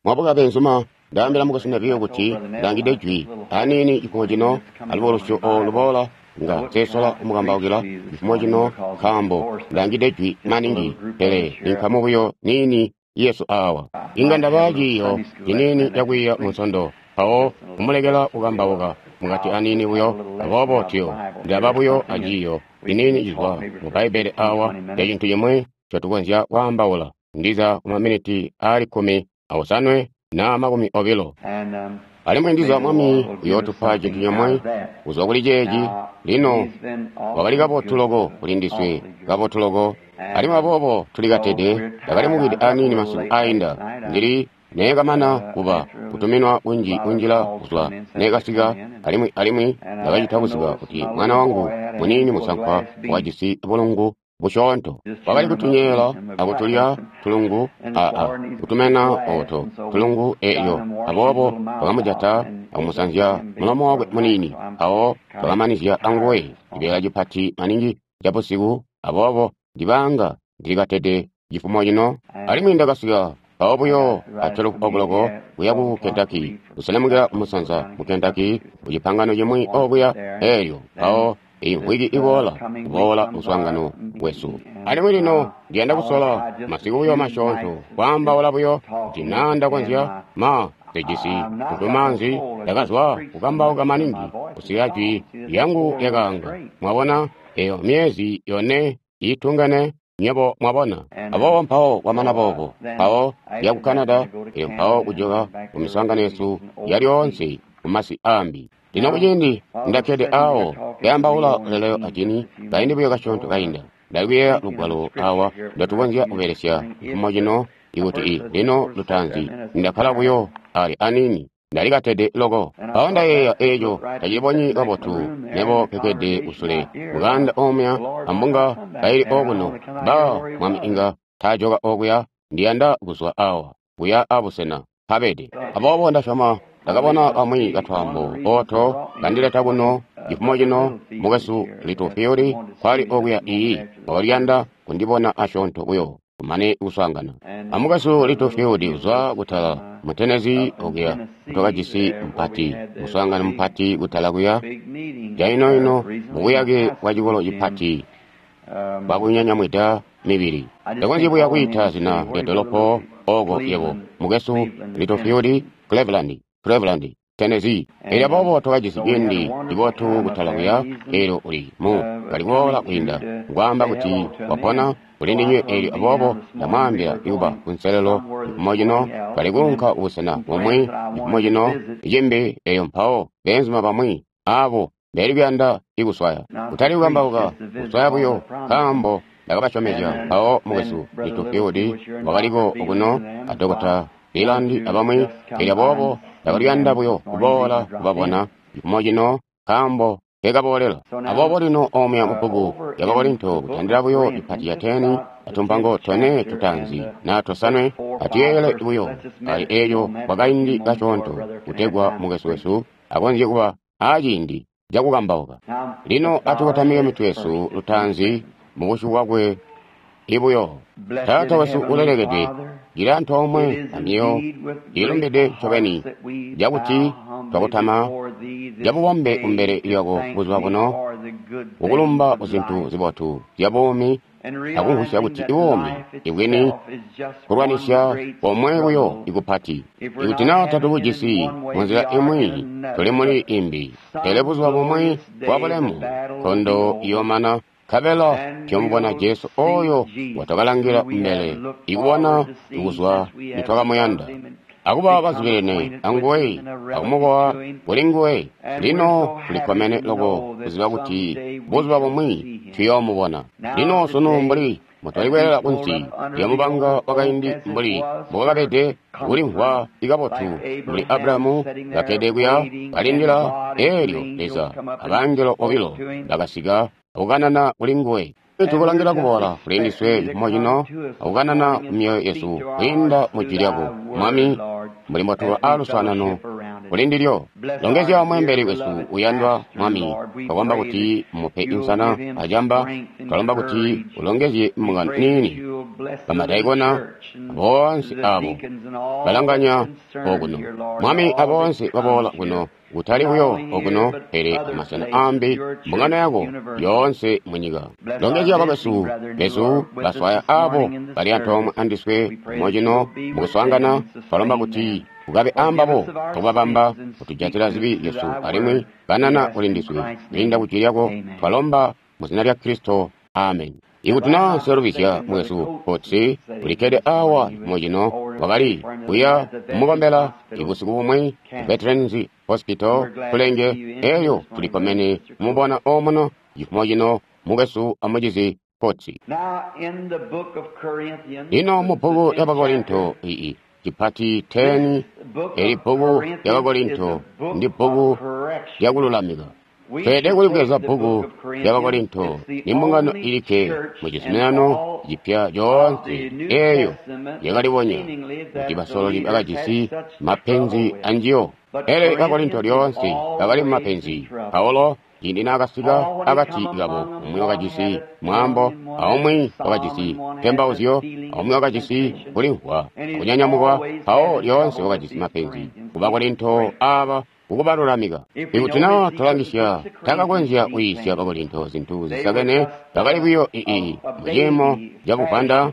Mwabuka beenzuma, ndaambila mukwesu Neville kuti ndangide jwi aniini cifumo cino alubo lusyo olu luboola nga nsesola kumukambaukila cifumo cino nkaambo ndangide jwi maningi, pele ninkamu buyo niini yesu awa. Inga ndaba ciiyo ciniini cakwiiya mu Nsondo, mpawo kumulekela kukambauka mukati aniini buyo. Aboobo tuyo ndaba buyo aciiyo ciniini cizwa mu Bbaibbele awa ca cintu cimwi ncotukonzya kwaambaula, ndiza ku maminiti aali 17 na 20. Alimwi ndiza Mwami uyootupa cintu cimwi kuzwa kuli ceeci. Lino, wakali kabotu loko kuli ndiswe, kabotu loko. Alimwi aboobo tuli katede, ndakali mukide aniini masiku ainda. Ndili neekamana kuba kutuminwa kunji kunjila kuzwa neekasika, alimwi ndakacita kuziba kuti mwana wangu muniini musankwa wakajisi bulungu busyoonto. Wakali kutunyeela akutulya tulungu a kutumena oto tulungu eelyo. Aboobo twakamujata akumusanzya mulomo wakwe muniini, mpawo twakamanizya anguwe cibeela cipati maningi cabusiku. Aboobo ndibaanga ndilikatede cifumo cino. Alimwi ndakasika mpawo buyo a 12 okuloko kuya ku Kentucky, kuselemukila kumusanza mu Kentucky ku cipangano cimwi okuya eelyo, mpawo eyi mvwiki iboola kuboola muswaangano wesu. Alimwi lino ndiyanda kusola masiku buyo masyoonto kwaambaula buyo kuti naa ndakonzya. Ma nsejisi ntuntumaanzi, ndakazwa kukambauka maningi kusikila jwi lyangu lyakaanga. Mwabona, eyo myeezi yone iitungene, nywebo mwabona. Aboobo mpawo kwamana boobo, mpawo ya ku Canada, elyo mpawo kujoka ku miswaangano yesu ya lyoonse ku masi aambi. Lino kuciindi ndakkede awo nkeambaula leleo ajini kaindi buyo kasyoonto kainda, ndali kuyeeya lugwalo awa ndotukonzya kubelesya cifumo cino ikuti i lino lutaanzi ndakkala buyo ali aniini. Ndali katede loko. Mpawo ndayeeya eeco tacilibonyi kabotu mebo nkekkede kusule mukaanda omuya ambunga kaili okuno. Baa, Mwami inga taajoka okuya. Ndiyanda kuzwa awa kuya abusena mpabede. Aboobo ndasyoma ndakabona kamwi katwaambo oto kandileta kuno cifumo cino. Mukwesu Littlefield nkwali okuya iyi wakaliyanda kundibona asyoonto buyo kumane kuswaangana. Amukwesu Littlefield uzwa kutala mu Tennessee okuya twakajisi mupati muswaangano mupati kutala kuya cainoino mubuyake bwa cikolo cipati bwakunyanyamwida mibili. Ndakonzyi buya kwiita zina lya dolopo oko yebo, mukwesu Littlefield, Cleveland, Cleveland, Tennessee. Elyo aboobo twakajisi ciindi cibotu kutala kuya. Elyo uli mu kali kuboola kwiinda ngwaamba kuti wapona kuli ndinywe. Elyo aboobo ndamwaambila kuba kunselelo cifumo cino, kali kuunka kubusena bumwi cifumo cino cimbi. Elyo mpawo beenzuma bamwi abo beli kuyanda ikuswaya, kutali kukambauka, kuswaya buyo, nkaambo ndakabasyomezya. Mpawo mukwesu Littlefield wakaliko okuno a Dokota Leland abamwi. Elyo aboobo ndakaliyanda buyo kuboola kubabona cifumo cino, nkaambo nkekaboolela. Aboobo lino omuya mubbuku lya Bakorinto, kutandila buyo cipati ca 10 atumpango tone tutaanzi na tosanwe, atuyeeyele buyo ali eeco kwa kaindi kasyoonto, kutegwa mukwesu wesu akonzye kuba aciindi cakukambauka. Lino atukotamike mitwe yesu lutaanzi mubusyu bwakwe ibuyo. Taata wesu ulelekedwe, cili antoomwe amyoyo iilumbide ncobeni cakuti twakutama cabubombe kumbele lyako buzuba buno, kukulumba kuzintu zibotu zya buumi, akumvwisya kuti buumi ibwini kulwanisya komwe buyo ikupati. Ikuti naa tatubujisi munzila imwi, tuli muli imbi. Pele buzuba bumwi bwa bulemu, nkondo iyoomana, nkabela tuyomubona Jesu oyo ngwatwakalangila kumbele ikubona kuzwa nitwakamuyanda, akuba bazubilene anguwe, akumukowa kuli nguwe. Lino tulikkomene loko kuziba kuti buzuba bumwi tuyoomubona. Lino sunu mbuli mutwali kweelela kunsi lya mubanga wakaindi mbuli mbokakabede kulimvwa ikabotu mbuli Abrahamu kakkede kuya kalindila, eelyo Leza abangelo bobilo bakasika akukanana kuli nguwe. Tukulangila kuboola kuli ndiswe cifumo cino akukanana ku myoyo yesu kwiinda mu jwi lyako, Mwami, mbuli mbotuba aaluswaanano kuli ndilyo. Longezya mweembeli wesu uyandwa Mwami, twakomba kuti mupe insana acamba, twalomba kuti ulongezye mbungano niini, bamadaikona boonse abo balanganya okuno, Mwami, aboonse baboola kuno, kutali buyo okuno pele amasena ambi, mbungano yako yoonse munyika. Longezya bakwesu besu baswaya abo bali antoomwe andiswe mocino mukuswaangana, twalomba kuti ukabe ambabo akubabamba kutujatila zibi zyesu alimwi kanana kuli ndiswe kwiinda ku jwi lyako, twalomba mu zina lya Kristo, amen. Ikuti naa nselubizya mwesu Potsi ulikkede awa mocino, wakali kuya kumukombela ibusiku bumwi ku Veterans Hospital kulenge eyo, tulikkomene kumubona omuno cifumo cino mukwesu amucizi Potsi. Lino mu bbuku lya Bakorinto ii cipati 10, eli bbuku lya Bakorinto ndi bbuku lyakululamika. Tweelede kulibweza bbuku lya Bakorinto, ni mbungano ilikke mu cizuminano cipya coonse eeyo yakalibonya kuti basololi bakajisi mapenzi anjiyo. Pele Bakorinto lyoonse bakali mumapenzi. Paulo ciindi naakasika akati kabo, umwi wakajisi mwaambo, aumwi wakajisi ntembauzyo, aumwi wakajisi kulimvwa akunyanyamukwa. Mpawo lyoonse wakajisi mapenzi ku Bakorinto aaba kukubalulamika. Ikuti naa twalangisya, taakakonzya kuyiisya Bakorinto zintu zisakene, bakali buyo ii muciimo cabuvwanda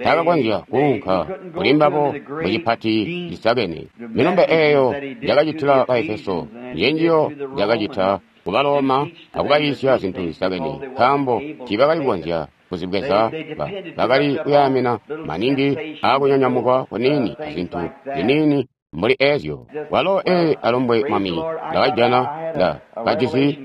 taakakonzya kuunka kuli mbabo mucipati cisakene. Milumbe eeyo yakacitila Baefeso njenjiyo yakacita ku Baloma akubayiisya zintu zisakene, nkaambo tiibakali kukonzya kuzibweza. Bakali kuyaamina maningi aakunyanyamukwa kuniini azintu ziniini mbuli ezyo. Walo alumbwe Mwami, ndakajana, ndakajisi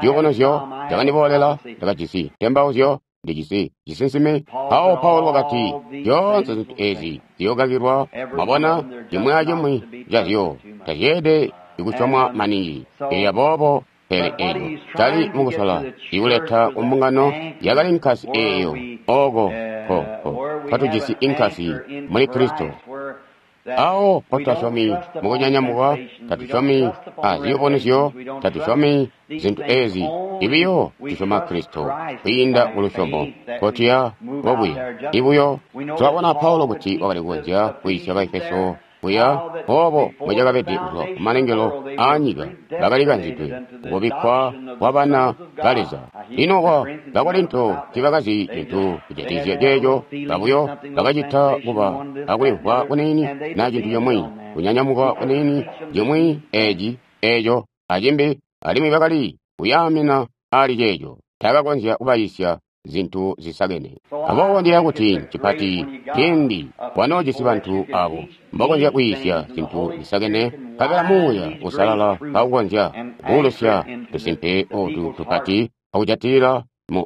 ziyubunuzyo zyakandiboolela, ndakajisi ntembauzyo, ndijisi cisinsime. Mpawo Paulo wakati, zyoonse zintu ezi ziyookakilwa. Mwabona, cimwi acimwi cazyo tazyeelede ikusyomwa maningi. Elyo aboobo, pele eco cali mukusola ikuleta kumbungano yakali nkasi eeyo, oko mpotujisi inkasi muli Kristo. Awo mpotutasyomi mukunyanyamukwa, tatusyomi aziyubunuzyo, tatusyomi zintu ezi, ibiyo tusyoma Kristo kwiinda kulusyomo nkotuya kobuya. Ibuyo tulabona Paulo kuti wakali kukonzya kwiisya Baefeso kuya obo mbocakabede kuzwa kumalengelo aanyika, bakali kanzidwe kubikkwa kwa bana ba Leza. Lino kwa Bakorinto tiibakazi cintu kujatikizya ceeco, babuyo bakacita kuba akulimvwa kuniini na cintu cimwi, kunyanyamuka kuniini, cimwi eci, eco, acimbi, alimwi bakali kuyaamina ali ceeco. Taakakonzya kubayiisya zintu zisakene. Aboobo ndiyeeya kuti ncipati ciindi wanoojisi bantu abo mbokonzya kwiisya zintu zisakene, nkabela Muuya Uusalala kaukonzya kuulusya tusimpe otu tupati akujatilila mu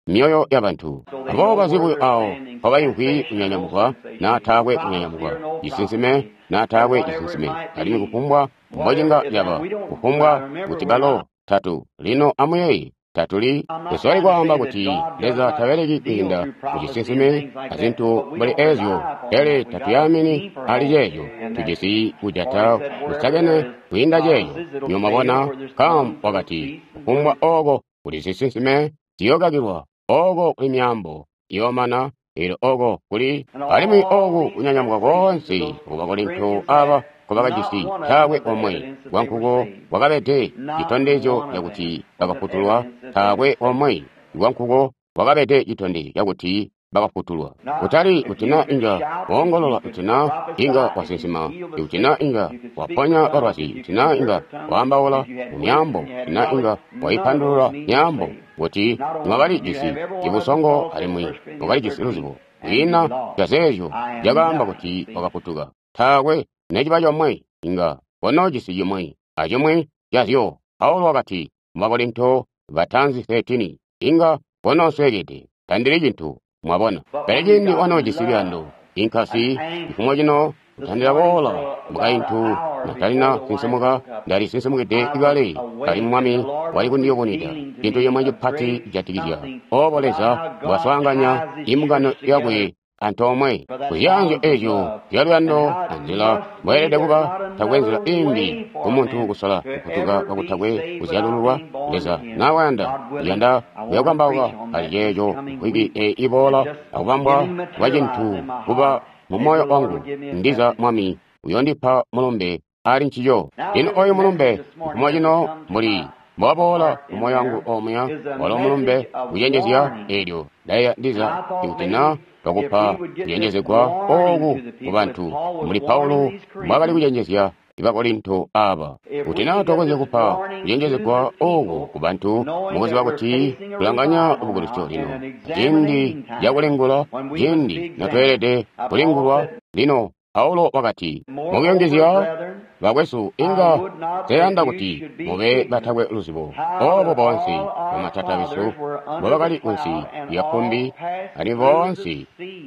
myoyo yabantu. Aboobo bazi buyo awo mpobaimvwi kunyanyamukwa naa taakwe kunyanyamukwa, cisinsime naa taakwe cisinsime, alimwi kufumbwa mbocinga caba, kufumbwa kuti balo tatu. Lino amuyeeye, tatuli kusoli kwaamba kuti Leza tabeleki kwiinda mucisinsime azintu mbuli ezyo, pele tatuyamini ali ceeco. Tujisi kujata kusakene kwiinda ceeco. Nywebo mwabona, nkaambo wakati, kufumbwa oko kuli zisinsime ziyookakilwa, oko kuli myaambo iyoomana, elyo oko kuli alimwi oku kunyanyamuka koonse ku Bakorinto aba nkobakajisi, taakwe omwe wankuko wakabede citondezyo cakuti bakafutulwa, taakwe omwe wankuko wakabede citondezyo cakuti bakafutulwa. Kutali kuti na inga woongolola, kuti na inga wasinsima, kuti na inga waponya balwazi, kuti na inga waambaula mu myaambo, kuti na inga waipandulula myaambo, kuti mwakalijisi ibusongo alimwi mwakalijisi luzibo. Kwiina cazeezyo cakaamba kuti wakafutuka. Taakwe neciba comwe inga konoojisi cimwi acimwi cazyo. Paulo wakati mu Bakorinto bataanzi 13, inga konoosweekede, tandili cintu. Mwabona? Pele ciindi wanoojisi luyando, inkasi, cifumo cino kutandila boola mukaintu natalina sinsimuka, ndali sinsimukide kale, alimwi Mwami wali kundiyubunwida cintu cimwe cipati cijatikizya obo Leza mbwaswaanganya imbungano yakwe. antoomwe. Kuzyaanzyo ezyo zyaluyando anzila mbweelede kuba, takwe nzila imbi kumuntu kusola kufutuka kakutakwe kuzyalululwa. Leza nawayanda, uyanda kuyakukambauka ali ceeco mvwiki eyi iboola akubambwa kwa cintu kuba mu moyo wangu. Ndiza Mwami uyondipa mulumbe ali ncico. Lino oyu mulumbe mfumo cino mbuli mbwaboola mu moyo wangu omuya, walo mulumbe kucenjezya eelyo ndayeeya ndiza ikuti na twakupa kucenjezegwa ooku ku bantu mbuli Paulo mbwaakali kucenjezya Bakorinto aaba. Kuti naa twakonzya kupa kucenjezegwa ooku ku bantu mukuziba kuti kulanganya bukulusyo lino, ciindi cakulingula, ciindi notweelede kulingulwa. Lino Paulo wakati, mukuyungizya bakwesu, inga nseyanda kuti mube batakwe luzibo oobo boonse bamatata besu mbobakali kunsi lya kkumbi, alimwi boonse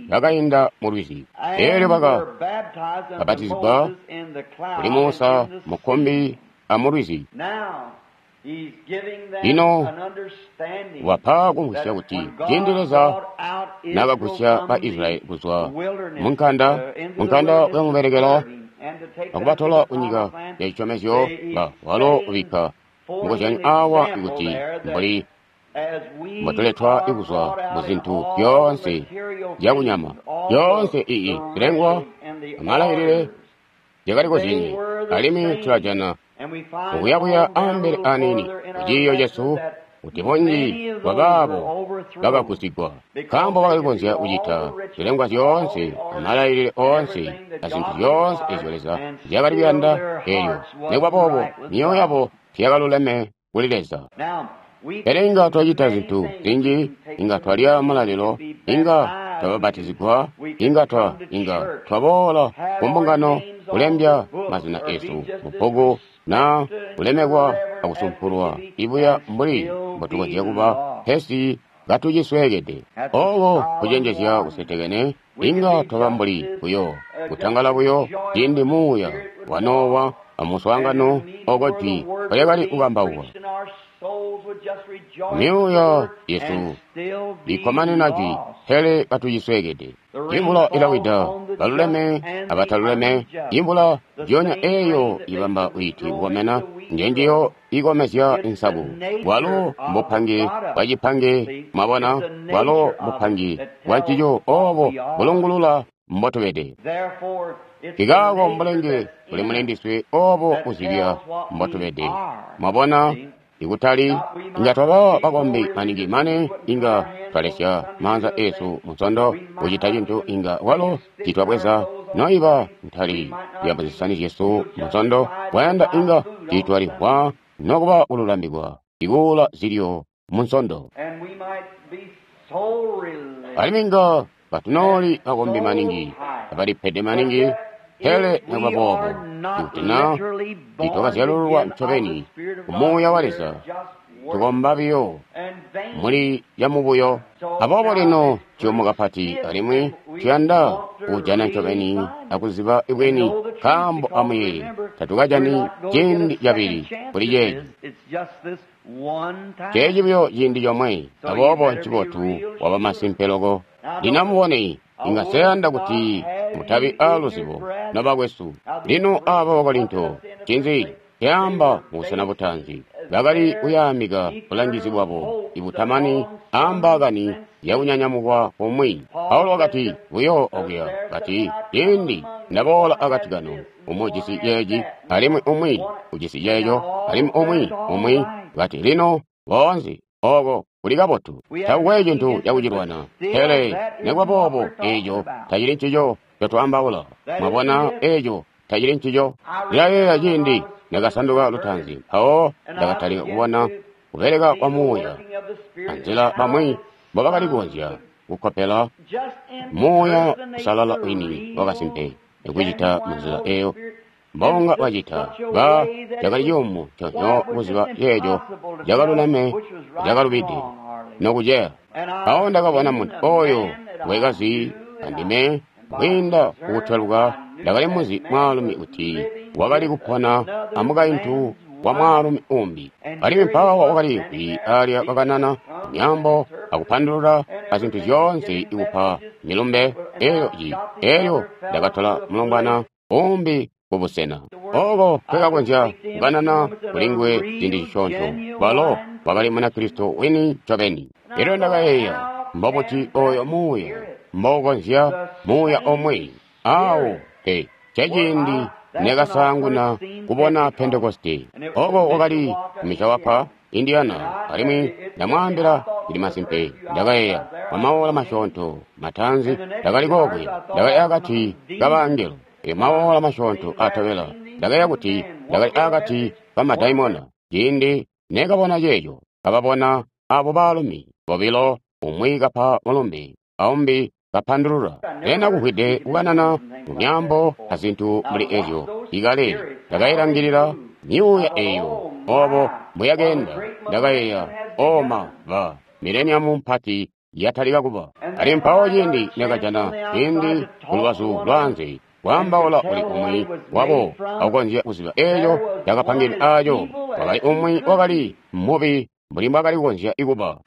bakainda mu lwizi. Eelyo baka bapatizigwa kuli Musa mu kkumbi amu lwizi. Lino wapa kumvwisya kuti ciindi Leza naakagusya ba Israyeli kuzwa munkanda, munkanda kuyamubelekela akubatola kunyika ya cisyomezyo, walo ubikka mukozyanyo awa kuti mbuli mbotuletwa kuzwa muzintu zyoonse zyakunyama, zyoonse ii zilengwa amalailile zyakali kozyenye, alimwi tulajana mukuyabuya ambele aniini kuciiyo cesu kuti bunji bwabaabo bakagusigwa nkaambo bakali kukonzya kucita zilengwa zyoonse amalailile oonse azintu zyoonse ezyo Leza nzyakali kuyanda, eelyo nikuba boobo myoyo yabo tiyakaluleme kuli Leza. Pele inga twacita zintu zinji, inga twalya mulalilo, inga twababatizigwa, inga twaboola kumbungano kulembya mazina esu mubbuku na kulemekwa akusumpulwa ibuya mbuli mbotukonzya kuba, pesi katucisweekede. Ooko kucenjezya kusetekene, inga twaba mbuli buyo kutangala buyo ciindi muuya wa Nowa amuswaangano oko jwi lyakali kukambaukwa. Myuuya yesu ikkomanina jwi, pele katucisweekede. Imvula ilawida baluleme abataluleme. Imvula njiyonya eeyo ibamba wiiti kukomena, njenjiyo ikomezya insaku. Bwalo mbupange bwacipange, mwabona, bwalo mbupange bwancico oobo bulungulula mbotubede. Kikaako mbulenge buli mulindiswe oobo buzibya mbotubede. Mwabona, ikutali inga twaba bakombi maningi mane inga twalesya maanza esu munsondo kucita cintu inga walo titwabweza noiba ntali ya muzisani zyesu munsondo wayanda inga titwalihwa nokuba kululambikwa ikuula zilyo munsondo. Alimwi inga batunooli bakombi maningi abalipede maningi, pele nikuba boobo ikuti na titwakazyalululwa ncobeni ku Muuya wa Leza, tukomba biyo muli yamubuyo. Aboobo lino ciyumu kapati, alimwi tuyanda kujana ncobeni akuziba bwini, nkaambo amuyeeye tatukajani ciindi cabili kuli ceeci. Ceeci buyo ciindi comwe, aboobo ncibotu waba masimpe loko. Lino amubone, inga nseyanda kuti mutabi aaluzibo nobakwesu. Lino aaba Bakorinto, ncinzi caamba mubusena butaanzi? Bakali kuyaamika bulangizi bwabo ibutamani aambaakani yakunyanyamukwa kumwi. Paulo wakati buyo okuya kati, ciindi ndaboola akati kanu, umwi ujisi ceeci, alimwi umwi ujisi ceeco, alimwi umwi umwi kati lino boonse oko kuli kabotu. Takukwe cintu cakucilwana, pele nikuba boobo eeco tacili ncico ncotwaambaula. Mwabona, eeco tacili ncico. Ndilayeeya ciindi ndakasanduka lutaanzi, mpawo ndakatalika kubona kubeleka kwa Muuya anzila bamwi mbobakali kukonzya kukkopela Muuya Uusalala wini wakasimpe ikucita munzila eeyo mbonga bacita. Ba cakali ciyumu nconyo kuziba ceeco cakaluleme cakalubide nokuceya. Mpawo ndakabona muntu ooyo wekazi andime kwiinda kukutweluka ndakali muzi mwaalumi kuti wakali kupona amukaintu wa mwaalumi umbi, alimwi mpawo wakali kwi alya kakanana myaambo akupandulula azintu zyoonse ikupa milumbe. Elyo elyo ndakatola mulombwana umbi kubusena oko kwekakonzya kukanana kuli nguwe ciindi cisyoonto. Balo wakali Munakristo wini ncobeni. Elyo ndakayeeya, mbobuti oyo muuya mboukonzya muuya omwe awo pe ceciindi nekasaanguna kubona Pentekoste. Oko wakali Mishawapa, Indiana, alimwi ndamwaambila ndili masimpe. Ndakayeeya mamaola masyoonto mataanzi ndakali kokuya, ndakali akati kabangelo. Elyo maola masyoonto atobela ndakayeeya kuti ndakali akati kamadaimona. Ciindi nekabona ceeco, kababona abo baalumi bobilo, umwi kapa mulumbe aumbi kapandulula. Ena kumvwide kukanana mu myaambo azintu mbuli ezyo ikale. Ndakayilangilila myuuya eyo obo mbweyakeenda. Ndakayeeya, oma ba mileniamu mpati yatalika kuba. Ali mpawo ciindi nekajana ciindi kulubazu lwaanze kwaambaula kuli umwi wabo akukonzya kuziba eeco cakapangidwe aaco. Wakali umwi wakali mubi mbuli mbwakali kukonzya kuba.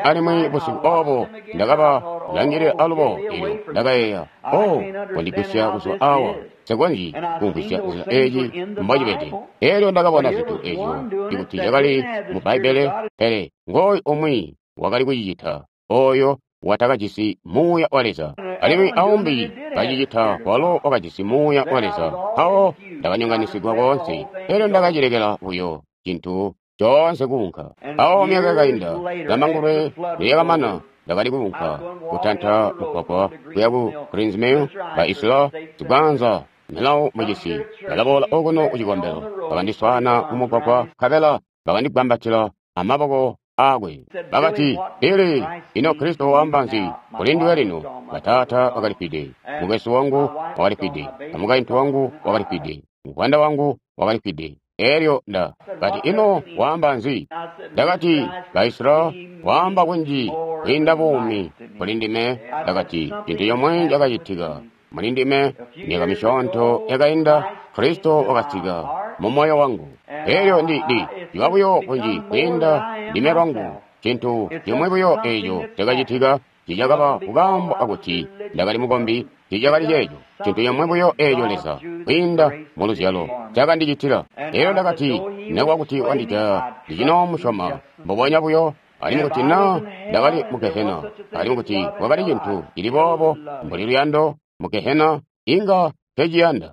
Alimwi busiku obo ndakaba langilila alubo. Elyo ndakayeeya, oh, kondigwisya kuzwa awa, nsekonzyi kumvwisya nzila eeci mbocibede. Elyo ndakabona zintu ezyo ikuti zyakali mu Bbaibbele, pele ngooyu umwi wakali kucicita, oyo watakajisi muuya wa Leza, alimwi aumbi kacicita walo wakajisi muuya wa Leza. Mpawo ndakanyonganisigwa koonse. Elyo ndakacilekela buyo cintu coonse kuunka. Awo myaka yakainda, Zambangulwe nilyakamana, ndakali kuunka kutanta mugwagwa kuya ku Greens Mill, ba Isla Zigwanza milawo mucisi. Balaboola okuno kucikombelo, bakandiswaana mumugwagwa, nkabela bakandigwambatila amaboko aakwe. Bakati, Billy, ino Kristo waamba nzi kuli nduwe lino? Bataata bakalifwide, mukwesu wangu wakalifwide, amukaintu wangu wakalifwide, muvwanda wangu wakalifwide. Elyo nda kati, ino waamba nzi? Ndakati, Baisra, waamba kunji kwiinda buumi kuli ndime. Ndakati, cintu comwe cakacitika muli ndime myaka misyoonto yakainda, Kristo wakasika mu moyo wangu. Elyo ndi ciba buyo kunji kwiinda ndime lwangu. Cintu cimwe buyo eco cakacitika cicakaba kukaambo akuti ndakali mukombi, cicakali ceeco. Cintu cimwe buyo eco Leza kwiinda mu luzyalo cakandicitila. Elyo ndakati, nekuba kuti wandijaya, ndicinoomusyoma mbubonya buyo. Alimwi kuti naa ndakali mu Gehena, alimwi kuti kwakali cintu cili boobo mbuli luyando mu Gehena, inga teciyanda.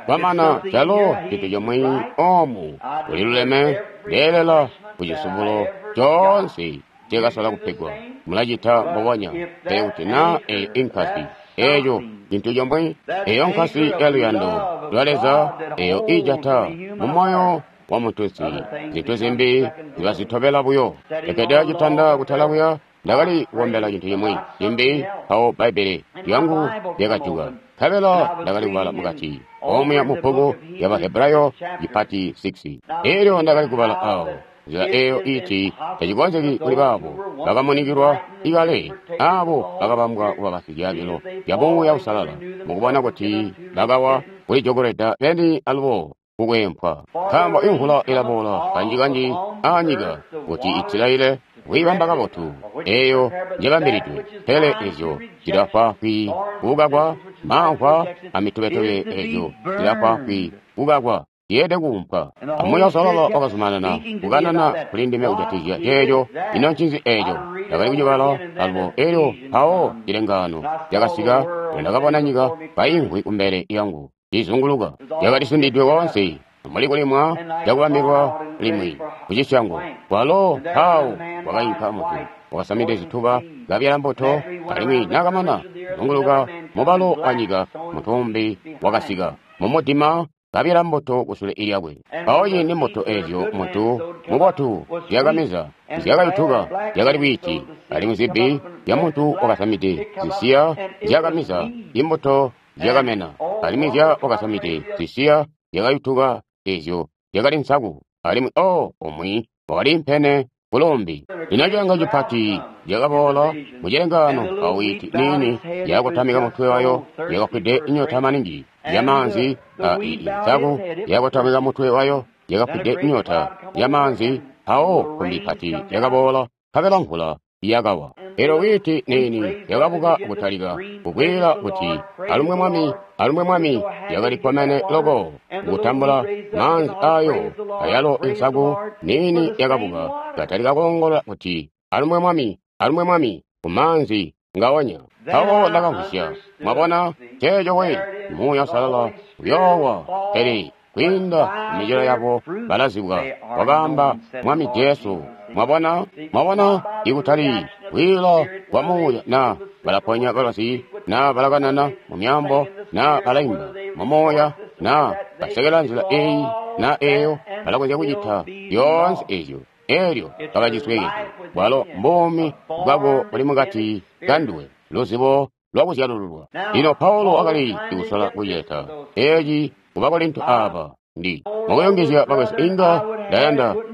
Kwamana calo cintu comwe omu kuliluleme ndeelela kucisubulo coonse cekasola kupegwa. Mulacita mbubonya. Pele kuti naa eyo inkasi, eeco cintu comwe, eyo nkasi ya luyando lwa Leza, eyo ijata mu moyo wa muntunsi, zintu zimbi zibazitobela buyo. Ndakede citanda kutala kuya, ndakali kukombela cintu cimwi cimbi, mpawo Bbaibbele lyangu lyakajuka, nkabela ndakali kubala mukati omuya mu bbuku lya Bahebrayo cipati 6. Elyo ndakali kubala awo nzila eyo iti tacikonzeki kuli baabo bakamunikilwa ikale, aabo bakabambwa kuba basizyaabilo bya Muuya Uusalala, mukubona kuti bakawa kulijokolweda beni alubo kukwempwa. Nkaambo imvula ilaboola kanji-kanji aanyika kuti itilaile kwiibamba kabotu eyo njebambilidwe, pele ezyo zilafwaafwi kukakwa, maamvwa amitubetube ezyo zilafwaafwi kukakwa, zyeelede kuumpwa. Amuuya Uusalala wakazumanana kukanana kuli ndime kujatikizya ceeco. Ino ncinzi eeco? Ndakali kucibala alubo. Elyo mpawo cilengaano cakasika, ndakabona nyika kaimvwi kumbele yangu izunguluka, yakalisundidwe koonse mbuli kulimwa cakubambilwa limwi kucisyango. Kwalo mpawo kwakainka muntu wakasamide zituba kabyala mbuto, alimwi nakamana kuzunguluka mubalo wa nyika, muntu umbi wakasika mumudima kabyala mbuto kusule lyakwe. Mpawo ciindi mbuto ezyo muntu mubotu zyakameza zyakayutuka, zyakali bwiiti, alimwi zibbi zya muntu wakasamide zisiya zyakameza imbuto zyakamena, alimwi zya wakasamide zisiya zyakayutuka ezyo zyakali nsaku, alimwi o umwi wakaliimpene kulumbi. Lino cilenga cipati cakaboola mucilengaano, mpawo wiiti niini yakotamika mutwe wayo, yakafwide nyota maningi yamaanzi, a nsaku yakotamika mutwe wayo, yakafwide nyota yamaanzi. Mpawo kumbi pati yakaboola, nkabela mvula yakawa. Elyo whiiti niini yakabuka kutalika kukwiila kuti, Alumbwe Mwami, alumbwe Mwami. Yakali kkomene loko kutambula maanzi ayo. Ayalo insaku niini yakabuka katalika koongola kuti, Alumbwe Mwami, alumbwe Mwami, ku maanzi ngaonya. Mpawo ndakamvwisya. Mwabona, ceeco we, Muuya Uusalala uyoowa, pele kwiinda mumicelo yabo balazibwa, wakaamba Mwami Jesu. Mwabona, mwabona, ikutali kwiila kwa Muuya, na balaponya balwazi, na balakanana mu myaambo, na balaimba mu Muuya, na basekela nzila eyi na eyo, balakonzya kucita zyoonse ezyo. Elyo bakacisweekede. Bwalo mbuumi bwako buli mukati kanduwe, luzibo lwakuzyalululwa. Lino Paulo wakali kusola kucileta eci ku Bakorinto aba. Ndi mukuyungizya, bakwesu, inga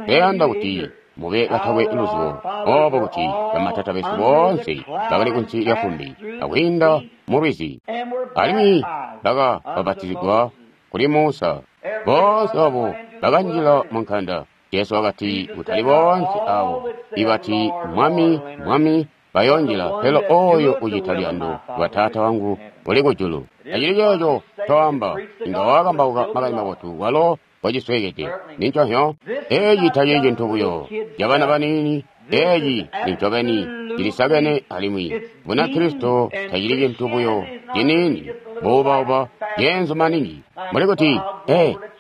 ndayanda kuti mube batakwe luzibo obo kuti bamatata besu boonse bakali kunsi lya fumbi akwiinda mu lwizi, alimwi baka bapatizigwa kuli Musa. Boonse abo bakanjila mu nkanda. Jesu wakati, kutali boonse abo ibati Mwami, Mwami bayoonjila, pele oyo ucita luyando lwa Taata wangu uli kujulu. Tacili ceeco ncoamba, inga wakambauka makani mabotu walo wacisweekede. Ninconhyo, eci tacili cintu buyo cabana baniini, eci nincobeni cilisakene alimwi Bunakristo tacili cintu buyo ciniini, buubauba, ceenzu maningi. Mbuli kuti,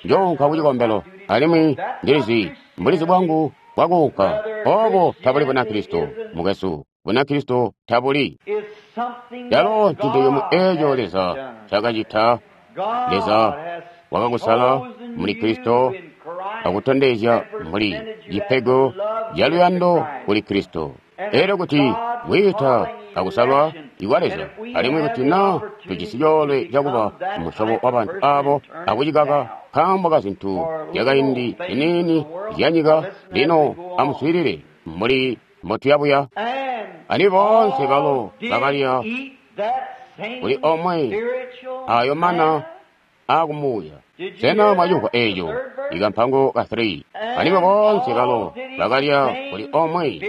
njounka kucikombelo, alimwi ndilizi mbulizi bwangu bwakuunka. Obo tabuli Bunakristo, mukwesu. Bunakristo tabuli. Calo ncintu cimwe eco Leza cakacita. Leza wakakusala muli Kristo akutondezya mbuli cipego ca luyando kuli Kristo. Elyo kuti kwiita akusalwa ikwa Leza, alimwi kuti na tujisi coolwe cakuba musyobo wa bantu abo akucikaka nkaambo ka zintu zyakaindi ziniini zyanyika, lino amuswiilile mbuli mbotuyabuya. Alimwi boonse balo bakalya kuli omwe ayo mana aakumuuya. Sena mwacimvwa eco? Ikampango ka 3. Alimwi boonse balo bakalya kuli omwe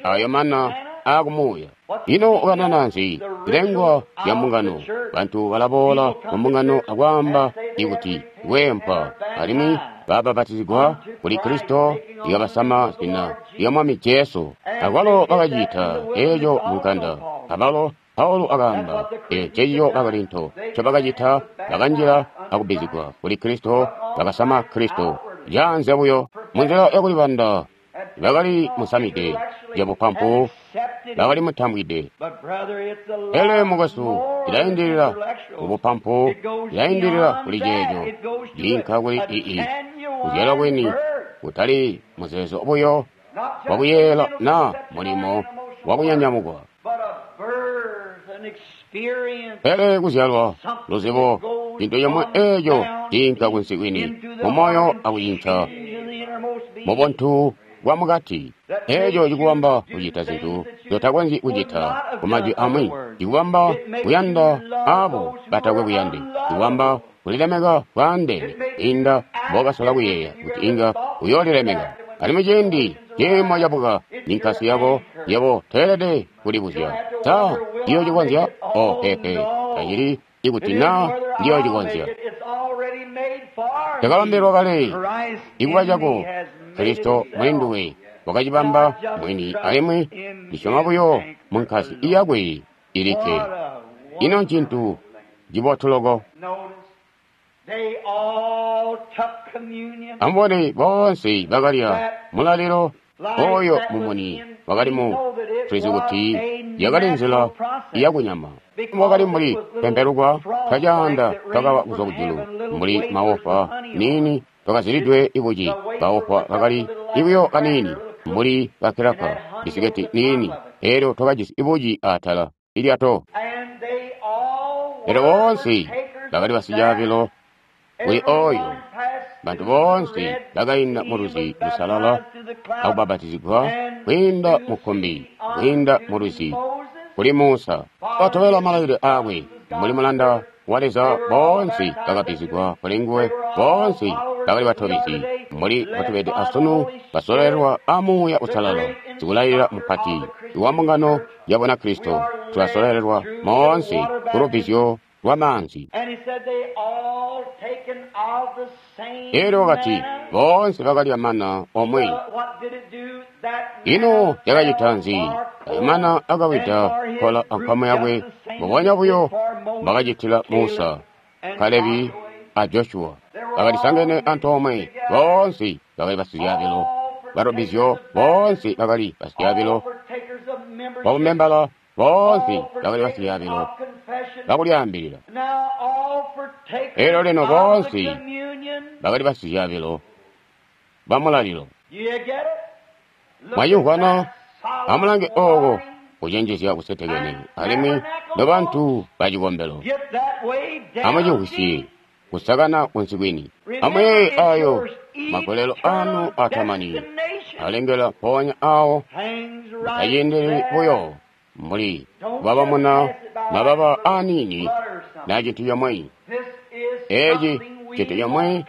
ayo mana aakumuuya. Ino ukanana nzi? Zilengwa zya mbungano. Bantu balaboola mu mbungano akwaamba ikuti weempwa, alimwi babapatizigwa kuli Kristo ikabasama zina lya Mwami Jesu. Akwalo bakacita eco mu nkanda. Abalo Paulo akaamba, ncecico Bakorinto ncobakacita, bakanjila akubbizigwa kuli Kristo, bakasama Kristo. Caanze buyo munzila yakulibanda, bakali musamide cabupampu, bakali mutambwide. Pele mukwesu, ilaindilila kubupampu, ilaindilila kuli ceeco, liinka kuli ii kuzyalwa kwini, kutali muzeezo buyo wakuyeeyela na mulimo wakunyanyamukwa. Pele kuzyalwa, luzibo, cintu cimwe eco ciinka kunsi kwini mumoyo akucinca mubuntu bwa mukati. Eco cikubamba kucita zintu nzotakonzyi kucita kumajwi amwi, cikubamba kuyanda abo batakwe buyande, cikubamba kulilemeka bwaandeene kwiinda mbokasola kuyeeya kuti inga uyoolilemeka. Alimwi ciindi ciimo cabuka ninkasi yako, yebo toelede kulibuzya, sa ndiyoocikonzya? O peepe, tacili ikuti na ndiyoocikonzya. Cakabambilwa kale ikuba cako, Kristo muli nduwe wakacibamba mwini, alimwi ndisyoma buyo mu nkasi iyakwe ilikke. Ino ncintu cibotu loko. Amubone, boonse bakalya mulalilo oyo mumuni wakali mu tulizi kuti yakali nzila yakunyama. Wakali mbuli pempelukwa twacaanda twakawa kuzwa kujulu, mbuli maofa niini twakazilidwe ibuci. Kaofa kakali ibuyo kaniini mbuli kakilaka bisiketi niini, elyo twakajisi ibuci atala ilyato. Elyo boonse bakali basicaabilo kuli oyo. Bantu boonse bakainda mu lwizi lusalala akubapatizigwa kwiinda mu kkumbi, kwiinda mu lwizi kuli Musa. Batobela malailile aakwe mbuli mulanda wa Leza, boonse bakabizigwa kuli nguwe, boonse bakali batobezi. mbuli mbotubede asunu, basololelwa a Muuya Uusalala, sikulailila mupati wa mbungano ya Bunakristo. Tulasololelwa moonse ku lubbizyo lwa maanzi. Elyo wakati, boonse bakalya mana omwe. Ino yakacita nzi? Ayo mana akawida kola ankwamo yakwe, mbubonya buyo mbakacitila Musa, Kalebi a Joshua. Bakalisangene antoomwe, boonse bakali basizyaabilo balubbizyo, boonse bakali basizyaabilo babumembala, boonse bakali basizyaabilo bakulyaambilila. Elyo lino boonse bakali basizyaabilo bamulalilo. Mwacimvwana? Amulange ooko kucenjezya kusetekene, alimwi nobantu bacikombelo amucimvwisye kusakana kunsi kwini. Amuyeeye ayo magolelo anu atamani alengela mpoonya awo, mutaciindilili buyo mbuli kubabamuna mababa aniini na cintu comwe. Eeci cintu comwe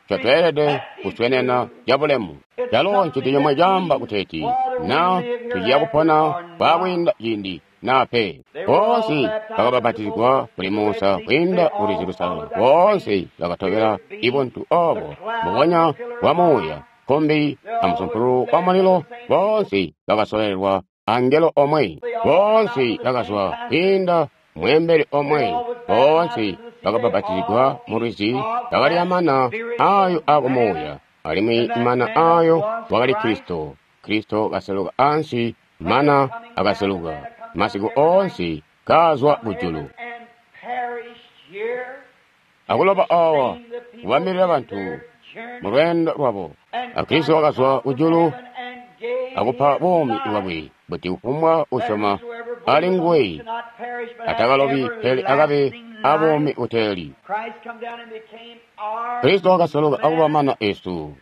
ncotweelede kuswenena cabulemu. Calo ncintu comwe caamba kuteeti na tuciya kupona kwaakwiinda ciindi na pe. Boonse bakabapatizigwa kuli Musa kwiinda ku Lwizi Lusalala. Boonse bakatobela ibuntu obo mbubonya bwa Muuya, kkumbi amusumpululu wa mulilo. Boonse bakasololelwa angelo omwe. Boonse bakazwa kwiinda mweembeli omwe. Boonse bakabapatizigwa mu lwizi, bakalya mana ayo akumuuya, alimwi mana ayo wakali Kristo. Kristo kaseluka ansi, mana akaseluka masiku oonse kazwa kujulu akuloba awa kubambilila bantu mu lweendo lwabo. A Kristo wakazwa kujulu akupa buumi bwakwe kuti kufumbwa usyoma ali nguwe atakalobi pele akabe abuumi buteeli. Kristo wakaseluka akuba mana esu,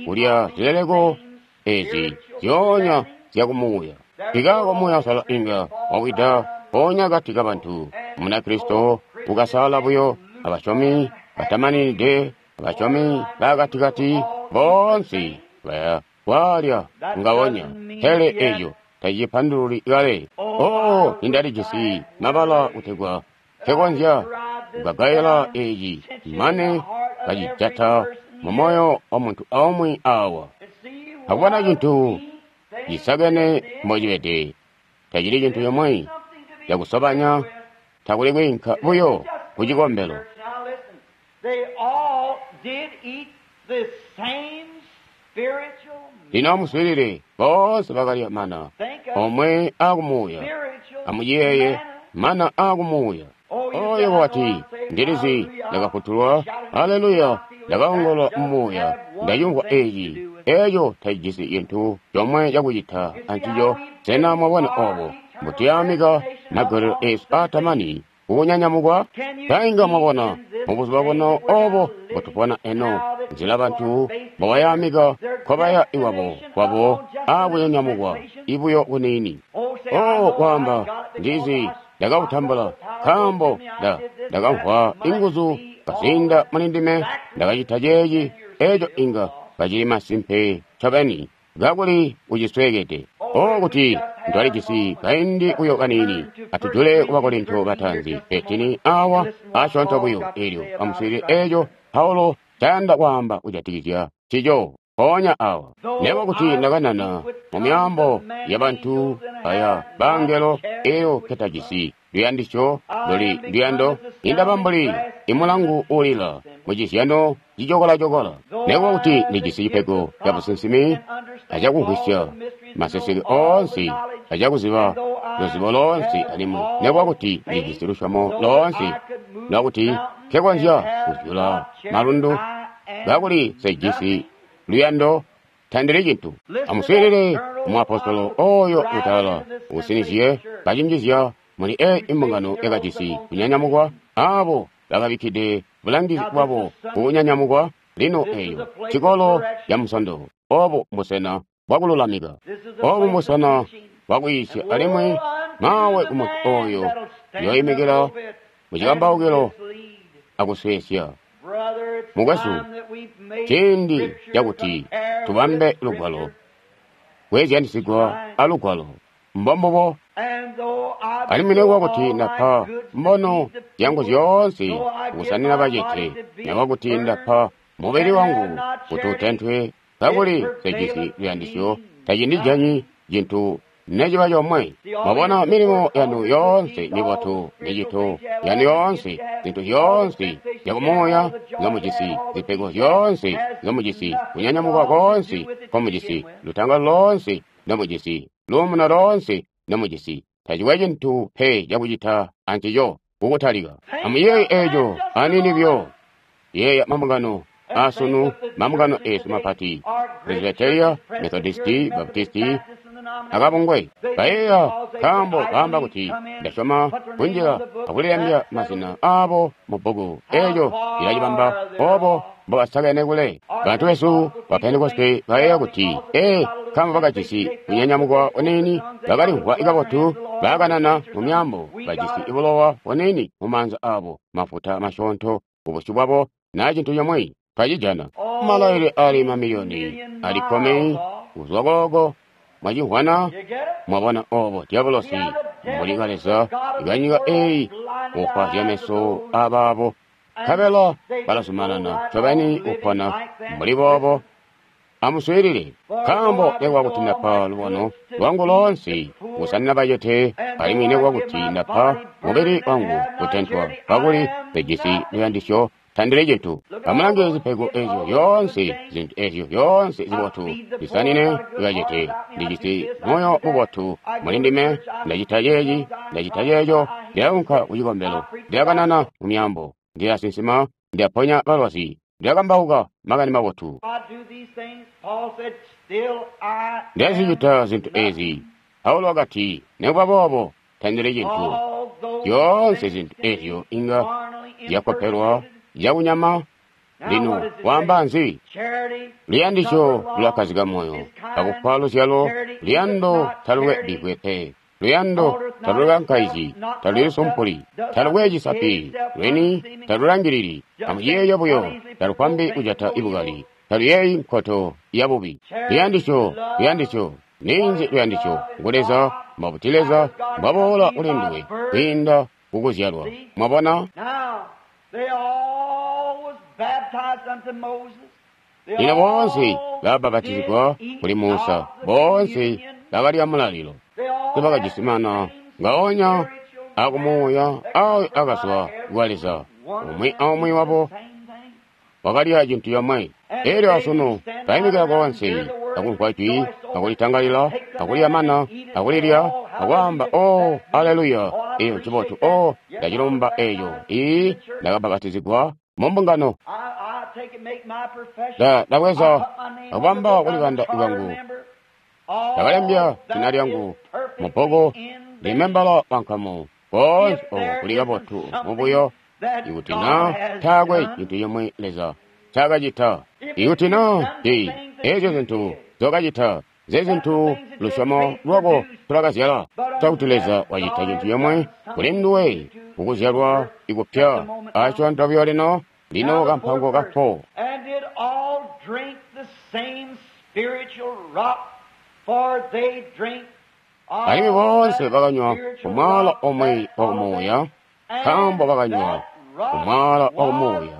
kulya zileleko ezi zyoonya zyakumuuya. Nkikaako Muuya Uusalala inga wawida mpoonya akati kabantu. Munakristo ukasaala buyo abasyomi batamaninide, abasyomi baakatikati, boonse baya kwaalya ngawonya. Pele eco tacipandululi kale. Oh, nindalijisi mabala kutegwa nkekonzya kugagaila eci mane kacijata mu moyo wa muntu aumwi awa. Akubona cintu cisakene mbocibede, tacili cintu comwe cakusobanya, takuli kwiinka buyo ku cikombelo. Lino amuswiilile, boonse bakalya mana omwe akumuuya. Amuciyeeye, mana akumuuya. Oyo wati, ndilizi ndakafutulwa, haleluya, ndakaongolola mumuuya, ndacimvwa eci. Eco tacijisi cintu comwe cakucita ancico. Sena mwabona obo mbutuyamika magolelo esu atamani kukunyanyamukwa? Tainga mwabona mubuzuba buno obo mbutupona eno, nzila bantu mbobayamika nkobaya iwabo kwabo akunyanyamukwa ibuyo kuniini. Oh, kwaamba ndizi ndakawutambula nkaambo ndakamvwa inguzu kaziinda muli ndime, ndakacita ceeci. Eco inga kacili masimpe ncobeni kakuli ucisweekede. Oh, kuti twalijisi kaindi buyo kaniini. Atujule ku Bakorinto bataanzi 13 awa asyoonto buyo, elyo amuswiilile eco Paulo ncayanda kwaamba kujatikizya ncico mpoonya awa. Nebo kuti ndakanana mu myaambo yabantu aya bangelo, eyo nketajisi luyandisyo luli luyando, indaba mbuli imulangu uulila mucizyano cicokola-cokola. Nekuba kuti ndijisi cipego ca businsimi acakumvwisya maseseke oonse acakuziba luzibo loonse, alimwi nekuba kuti ndijisi lusyomo loonse lwakuti nkekonzya kuzyula malundu, kakuli nsejisi luyando, tandili cintu. Amuswiilile muapostolo oyo utalala usinizye kacinjizya muli eyi imbungano yakajisi kunyanyamukwa, abo bakabikkide bulangizi bwabo kukunyanyamukwa. Lino eyo cikolo ca Musondo. Obu mbusena bwakululamika, obu mbusena bwakwiisya, alimwi mawe ku muntu oyo yoyimikila mucikambaukilo akusweesya. Mukwesu, Ciindi cakuti tubambe Lugwalo, kweezyanisigwa a Lugwalo. Mbombubo. Alimwi nekuba kuti ndapa mbono zyangu zyoonse kusanina bacete, nekuba kuti ndapa mubili wangu kuti utentwe, kakuli sejisi luyandisyo, tacindijanyi cintu neciba comwe. Mwabona milimo yanu yoonse mibotu, micito yanu yoonse, zintu zyoonse zyakumuuya nzomujisi, zipego zyoonse nzomujisi, kunyanyamuka koonse nkomujisi, lutangalo loonse ndomujisi, luumuno loonse ndomujisi, tacikwe cintu pe cakucita ancico kukutalika. Amuyeeye eco aniini buyo. Yeeya mambungano asunu, mambungano esu mapati, Presbyteria, Methodisti, Baptisti, akabungwe. Bayeeya nkaambo baamba kuti ndasyoma kunjila akulilembya mazina aabo mu bbuku. Eeco cilacibamba obo mbobasakene kule. Bantu besu ba Pentekoste bayeeya kuti, ee, nkaambo bakajisi kunyanyamukwa kuniini, bakalimvwa kabotu, baakanana mu myaambo, bajisi bulowa buniini mu maanza aabo, mafuta masyoonto kubusyu bwabo, naa cintu cimwi twacijana. Malailile ali mamiliyoni ali kkumi kuzwa kooko. Mwacimvwana, mwabona obo diabolosi mbuli kaleza kanyika eyi kufwazya meso abaabo, nkabela balazumanana ncobeni kupona mbuli boobo. Amuswiilile, nkaambo nekuba kuti ndapa lubono lwangu loonse kusanina bacete, alimwi nekuba kuti ndapa mubili wangu kutentwa, kakuli ndijisi luyandisyo, tandili cintu. Amulange zipego ezyo zyoonse, zintu ezyo zyoonse zibotu, zisanine bacete. Ndijisi moyo mubotu muli ndime, ndacita ceeci, ndacita ceeco, ndilaunka kucikombelo, ndilakanana mu myaambo, ndilasinsima, ndilaponya balwazi, ndilakambauka makani mabotu. Ndilazicita zintu ezi. Paulo wakati, nekuba boobo tandili cintu. Zyoonse zintu ezyo inga zyakopelwa zyakunyama. Lino waamba nzi? Luyandisyo lulakkazika moyo, akupa luzyalo. Luyando talukwe bbivwe pe. Luyando talukankaizyi, talulisumpuli, talukwe cisapi, lweni talulangilili. Amuciyeeye buyo, talukwambi kujata ibukali, taluyeeyi nkoto yabubi. Luyandisyo, luyandisyo, ninzi luyandisyo? Ngu Leza. Mbuti Leza mbwaboola kuli nduwe kwiinda kukuzyalwa? Mwabona? Lino boonse babapatizigwa kuli Musa, boonse bakalya mulalilo, tebakajisi mana ngaonya akumuuya ayo akazwa kwa Leza. Umwi aumwi wabo wakalya cintu comwe. Elyo asunu baimikila koonse akumvwa jwi, akulitangalila, akulya mana, akulilya, akwaamba, oh, aleluya, eyo ncibotu, oh, ndacilumba eyo. Ii, ndakabapatizigwa mu mbungano. Ndabweza akubamba kulikanda kwangu, ndakalembya zina lyangu mu bbuku, ndi membala wa nkamu. Koonse oko kuli kabotu mubuyo, ikuti na taakwe cintu cimwi Leza ncaakacita. Ikuti na ti ezyo zintu nzokacita, ze zintu lusyomo lwako tulakazyala. Cakuti Leza wacita cintu cimwi kuli nduwe kukuzyalwa ikupya asyoonto buyo lino, lino kampango ka 4. Alimwi boonse bakanywa kumwaala omwe wakumuuya, nkaambo bakanywa kumwaala wakumuuya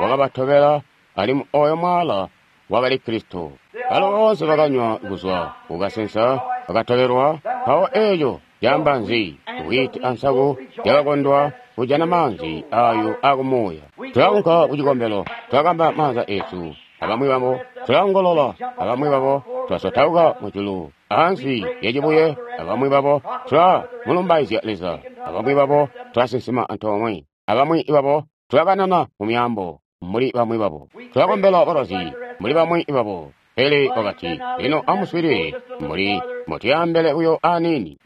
wakabatobela, alimwi oyo mwaala wakali Kristo. Balo boonse bakanywa kuzwa kukasensa bakatobelwa. Mpawo eco caamba nzi? Whiiti ansaku zyakakondwa kujana maanzi ayo akumuuya. Tulaunka kucikombelo, tulakamba maanza esu abamwi babo, tulaongolola abamwi babo, tulasotauka mujulu ansi yacibuye abamwi babo, tulamulumbaizya Leza abamwi babo, tulasinsima antoomwe abamwi babo, tulakanana mu myaambo mbuli bamwi babo, tulakombela balwazi mbuli bamwi babo. Pele wakati, lino amuswiilile mbuli mbotuyaambele buyo aniini.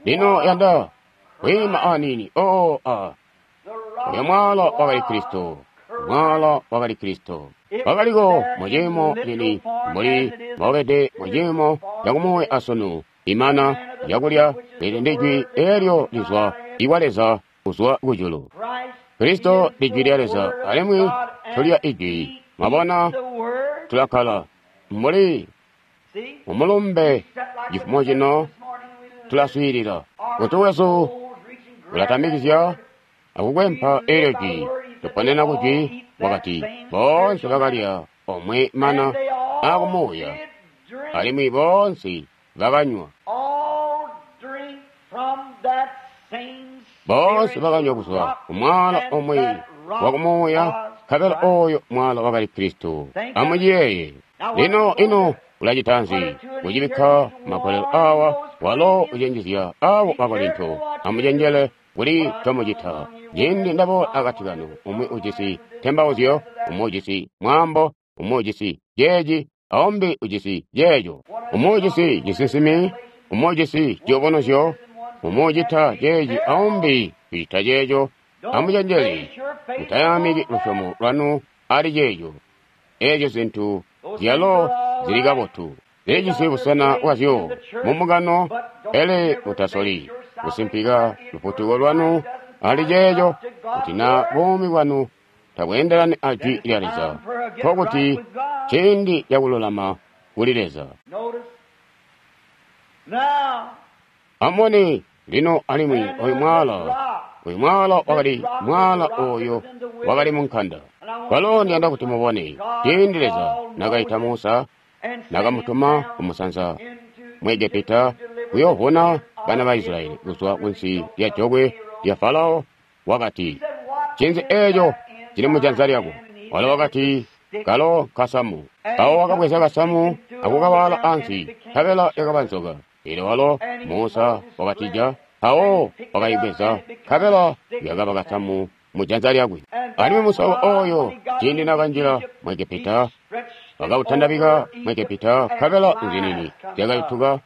Lino yanda kwiima aniini. Oo, a uyo mwaala wakali Kristo, mwaala wakali Kristo. Wakaliko muciimo cini mbuli mbobede muciimo cakumuuya asunu. Imana yakulya lili ndi jwi eelyo lizwa ikwa Leza kuzwa kujulu. Kristo ndi Jwi lya Leza, alimwi tulya Ijwi. Mwabona, tulakkala mbuli mumulumbe cifumo cino, tulaswiilila. Kutu wesu ulatamikizya akukwempa eelyo Jwi. Tuponena ku Jwi, wakati, boonse bakalya omwe mana akumuuya, alimwi boonse bakanywa. Boonse bakanywa kuzwa ku mwaala omwe wakumuuya, nkabela oyo mwaala wakali Kristo. Amuciyeeye. Lino ino ulacita nzi? Kucibikka magolelo awa, walo ucenjezya abo Bakorinto. Amucenjele kuli ncomucita. Ciindi ndaboola akati kanu, umwi ujisi ntembauzyo, umwi ujisi mwaambo, umwi ujisi ceeci, aumbi ujisi ceeco. Umwi ujisi cisinsimi, umwi ujisi ciyubunuzyo, umwi ucita ceeci, aumbi ucita ceeco. Amucenjele, mutayaamiki lusyomo lwanu ali ceeco. Eezyo zintu zyalo zili kabotu, zilijisi busena bwazyo mumbungano, pele mutasoli kusimpika lufutuko lwanu ali ceeco. Kuti naa buumi bwanu tabweendelani a Jwi lya Leza, nkokuti ciindi cakululama kuli Leza. Amubone lino, alimwi oyu mwaala, oyu mwaala wakali mwaala oyo wakali munkanda. Kwalo ndiyanda kuti mubone, ciindi Leza nakaita Musa, nakamutuma kumusanza mu Egepita kuyoovuna bana ba Israyeli kuzwa kunsi lya jokwe lya Farao, wakati, ncinzi eeco cili mujanza lyako? Walo wakati, kalo kasamu. Mpawo wakabweza kasamu akukawaala ansi, nkabela yakaba nzoka. Eelyo walo Musa wakatija, mpawo wakayibweza, nkabela yakaba kasamu mujanza lyakwe. Alimwi musako oyo ciindi nakanjila mu Egepita, wakautandabika mu Egepita, nkabela nzinini zyakayutuka.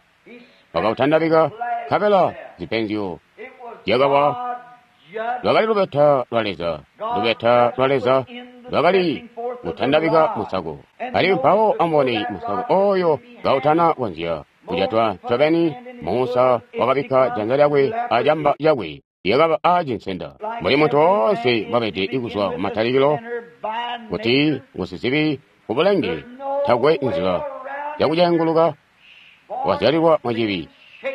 Wakautandabika, nkabela zipenzyo zyakawa. Lwakali lubeta lwa Leza, lubeta lwa Leza lwakali kutandabika musako. Alimwi mpawo amubone musako oyo kautana konzya kujatwa ncobeni, Musa wakabikka janza lyakwe acamba cakwe, lyakaba aacinsenda. Mbuli muntu woonse mbwabede kuzwa kumatalikilo, kuti ngusizibi kubulenge, takwe nzila yakucenguluka, wazyalilwa mucibi,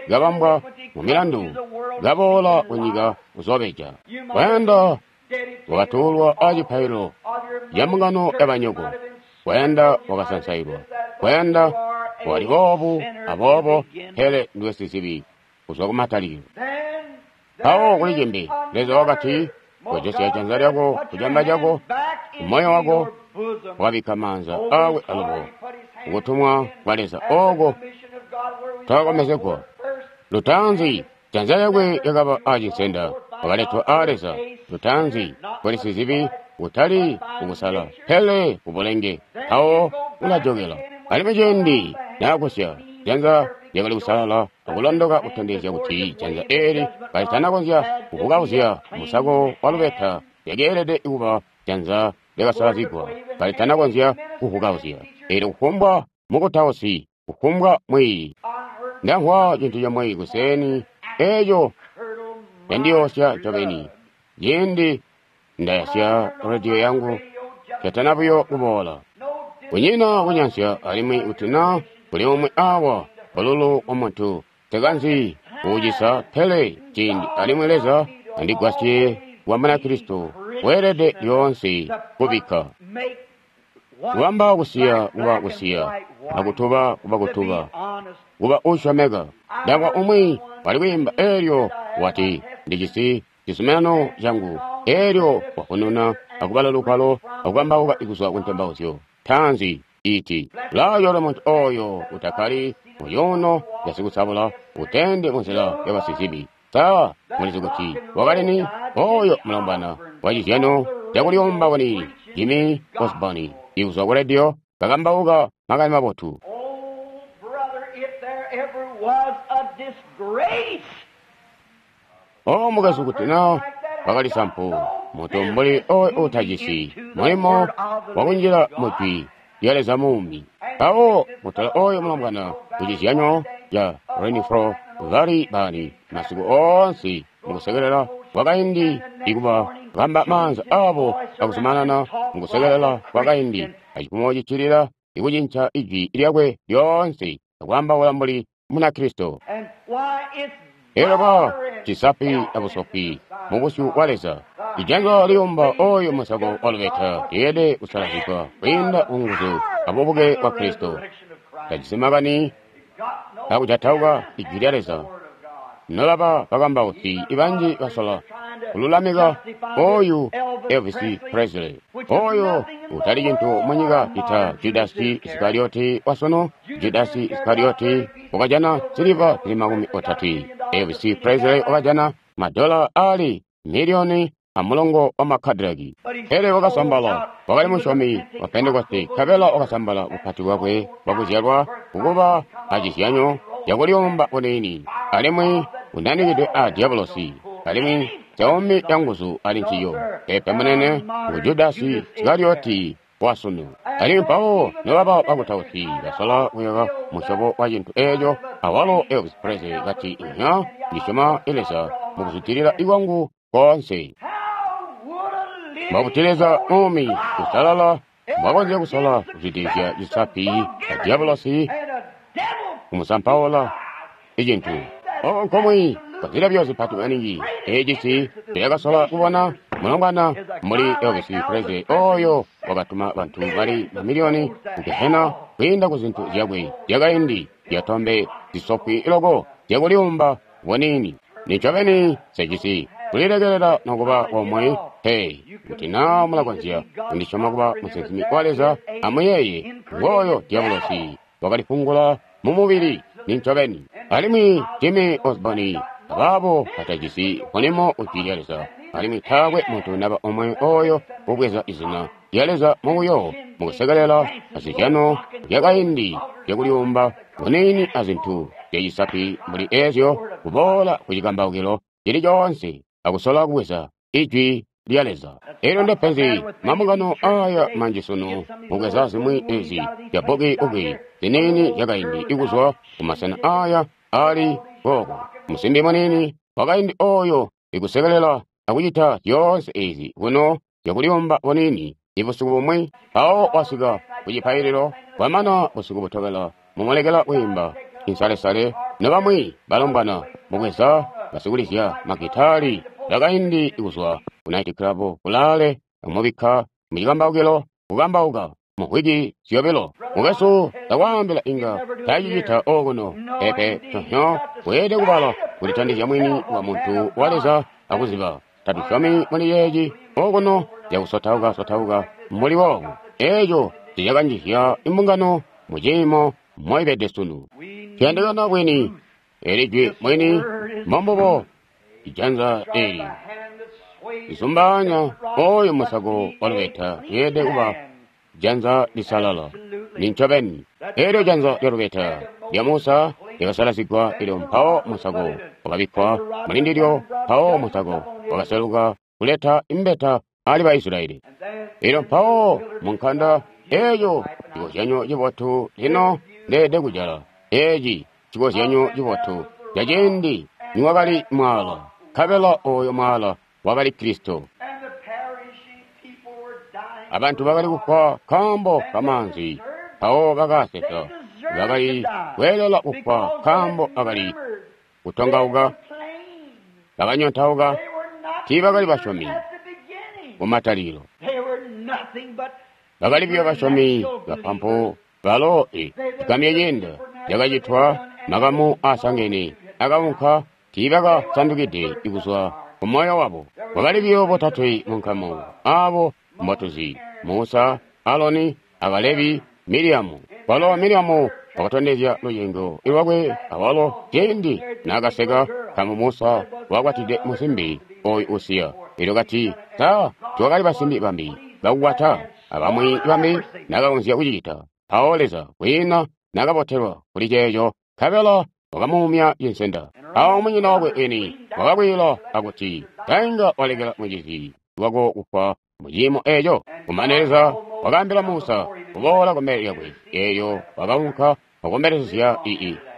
kabambwa mu milandu, kaboola kunyika kuzoobeja. Kwayanda wakatuulwa acipaililo ca mbungano yabanyoko, kwayanda wakasansailwa, kwayanda wali boobu aboobo, pele ndiwe sizibi kuzwa kumatalikilo. Mpawo kuli cimbi, Leza wakati, kojosya janza lyako kucamba cako, kumoyo wako, wakabikka maanza aakwe alubo kukutumwa kwa Leza ooko twakakomezegwa. Lutaanzi janza lyakwe lyakaba aacinsenda, wakaletwa aa Leza. Lutaanzi kuli sizibi, kutali kukusala, pele kubulenge. Mpawo ulajokela. Alimwi ciindi naakusya, janza lyakali kusalala akulondoka kutondezya kuti janza eeli kalitanakonzya kuvukauzya musako wa lubeta, lyakeelede kuba janza lyakasalazigwa kalitanakonzya kuvukauzya. Eelyo kufumbwa mukutausi, kufumbwa mwiiyi, ndamvwa cintu comwe kuseeni eeco candiyoosya ncobeni. Ciindi ndayasya rediyo yangu, catana buyo kuboola. Kunyina kunyansya, alimwi kuti naa kuli umwi awa bululu wa muntu, nsikanzi kuucisa, pele ciindi alimwi Leza andigwasye kuba Munakristo weelede lyoonse kubikka. Kubamba kusiya kuba kusiya, akutuba kuba kutuba, kuba uusyomeka. Ndamvwa umwi wali kwiimba eelyo wati, ndijisi cizuminano cangu. Eelyo wavununa akubala lugwalo akukambauka kuzwa ku ntembauzyo taanzi iti, ulayola muntu oyo utakkali mucuuno casikusabula, utende munzila yabasizibi. Sa mulizi kuti wakali ni oyo mulombwana wacizyano cakulyomba kuni Jimmy Osborne ikuzwa ku rediyo kakambauka makani mabotu. Oh, brother, if there ever was a disgrace, O mukwesu, kuti na wakali sampu mutu mbuli oyo utajisi mulimo wakunjila mujwi lya Leza muumi. Mpawo mutala oyo mulombwana kucizyanyo ca Renfro Valley Bani masiku oonse mukusekelela kwakaindi ikuba kamba maanza abo akuzumanana mukusekelela kwakaindi, acifumo cicilila ikucinca ijwi lyakwe lyoonse akwaambaula mbuli Munakristo. Elyo ba cisapi abusopi mu busyu bwa Leza. Ijanza liyumba oyo musako wa lubeta lyeelede kusalazigwa kwiinda ku nguzu abubuke bwa Kristo. Tajisi makani akujatauka ijwi lya Leza. Nolaba bakambausi ibanji basola kululamika oyu Elvis Presley, oyo utali cintu munyika cita Judasi Isikarioti wasunu. Judasi Isikarioti wakajana siliva zili 30. Elvis Presley wakajana madola ali miliyoni amulongo wa makadilaki. Pele wakasambala, wakali musyomi wa Pentekoste, nkabela wakasambala bupati bwakwe bwakuzyalwa kukuba acizyanyo cakuliyumba buniini, alimwi unanikidwe a diabolosi, alimwi caumi canguzu ali nciyo. Pepe munene ngu Judasi Isikarioti wasunu. Alimwi mpawo nobaba bakutausi basola kuyaka musyobo wa cintu eeco, awalo Elvis Presley kati, Inya, ndisyoma Leza mukuzwidilila kwangu koonse. Mwakuti Leza muumi usalala mbwakonzya kusola kuzwidilizya cisapi a diabolosi kumusampaula icintu. Oko nkomwi kwazilabyo zipati maningi ecisi ciyakasola kubona mulongwana mbuli Elvis Presley oyo wakatuma bantu bali mamiliyoni ku gehena kwiinda ku zintu zyakwe zyakaindi zyatombe zisopwi loko zyakuliyumba buniini. Nincobeni nsecisi kulilekelela nokuba komwe pe. Kuti naa mulakonzya kundisyoma kuba musinsimi wa Leza, amuyeeye ngooyo diabolosi wakalifungula mu mubili. Nincobeni. Alimwi Jimmy Osborne abaabo batajisi mulimo ujwi lya Leza, alimwi taakwe muntu naba omwe oyo ubweza izina lya Leza mubuyo mukusekelela azizyano zyakaindi zyakuliyumba buniini azintu zyacisapi mbuli eezyo, kuboola ku cikambaukilo cili coonse akusola kubweza ijwi lya Leza. Elyo ndepenzi mambungano aya manji sunu mubweza zimwi ezi zya bbuki-uki ziniini zyakaindi ikuzwa kumasena aya ali kooko. Musimbi muniini wakaindi oyo ikusekelela akucita zyoonse ezi kuno zyakuliyumba buniini ibusiku bumwi, mpawo wasika ku cipaililo, bwamana busiku butobela mumulekela kwiimba insalesale nobamwi balombwana mubweza basikulizya magitali bakaindi kuzwa ku night club kulaale amubikka mucikambaukilo kukambauka mu mvwiki zyobilo. Mukwesu ndakwaambila inga tacicita okuno pepe tonyo weelede kubala kulitondezya mwini wa muntu wa Leza akuziba tatusyomi muli yeeci okuno zyakusotauka-sotauka mbuli boobu. Eeco cicakanjizya imbungano mu ciimo moibede sunu. Tuyandikana bwini eli jwi mwini mbombubo ijanza eli lisumbaanya oyo musako wa lubeta lyeelede kuba janza lisalala. Nincobeni. Elyo janza lya lubeta lya Musa lyakasalazigwa, elyo mpawo musako wakabikkwa mulindilyo, mpawo musako wakaseluka kuleta imbeta ali ba Israyeli. Elyo mpawo munkanda eeco cikozyanyo cibotu lino ndeelede kujala. Eeci cikozyanyo cibotu ca ciindi niwakali mwaala, nkabela oyo mwaala wakali Kristo. Abantu bakali kufwa nkaambo kamaanzi, mpawo bakasesa. Bakali kweelela kufwa nkaambo bakali kutongauka, bakanyontauka, tiibakali basyomi kumatalikilo. Bakali buyo basyomi bapampu balo cigamye ciinda cakacitwa makamu aasangene akaunka, tiibakasandukide kuzwa ku moyo wabo. Kwakali buyo botatwe mu nkamu abo mbotuzi: Musa, Aloni, a Kalebi, Miriamu. Kwalo Miriamu wakatondezya lucengo lwakwe awalo ciindi naakaseka nkaambo Musa wakwatide musimbi oyu usiya. Elyo kati, Sa tiwakali basimbi bambi bakukwata abamwi bambi nakakonzya kucicita? Mpawo Leza kwiina nakabotelwa kuli ceeco, nkabela wakamuumya cinsenda. Awo munyina wakwe eni wakakwiila akuti, Tainga walekela mucizi wako kufwa mu ciimo eeco. Kumane Leza wakaambila Musa kuboola kumbele lyakwe, eelyo wakaunka wakombelezya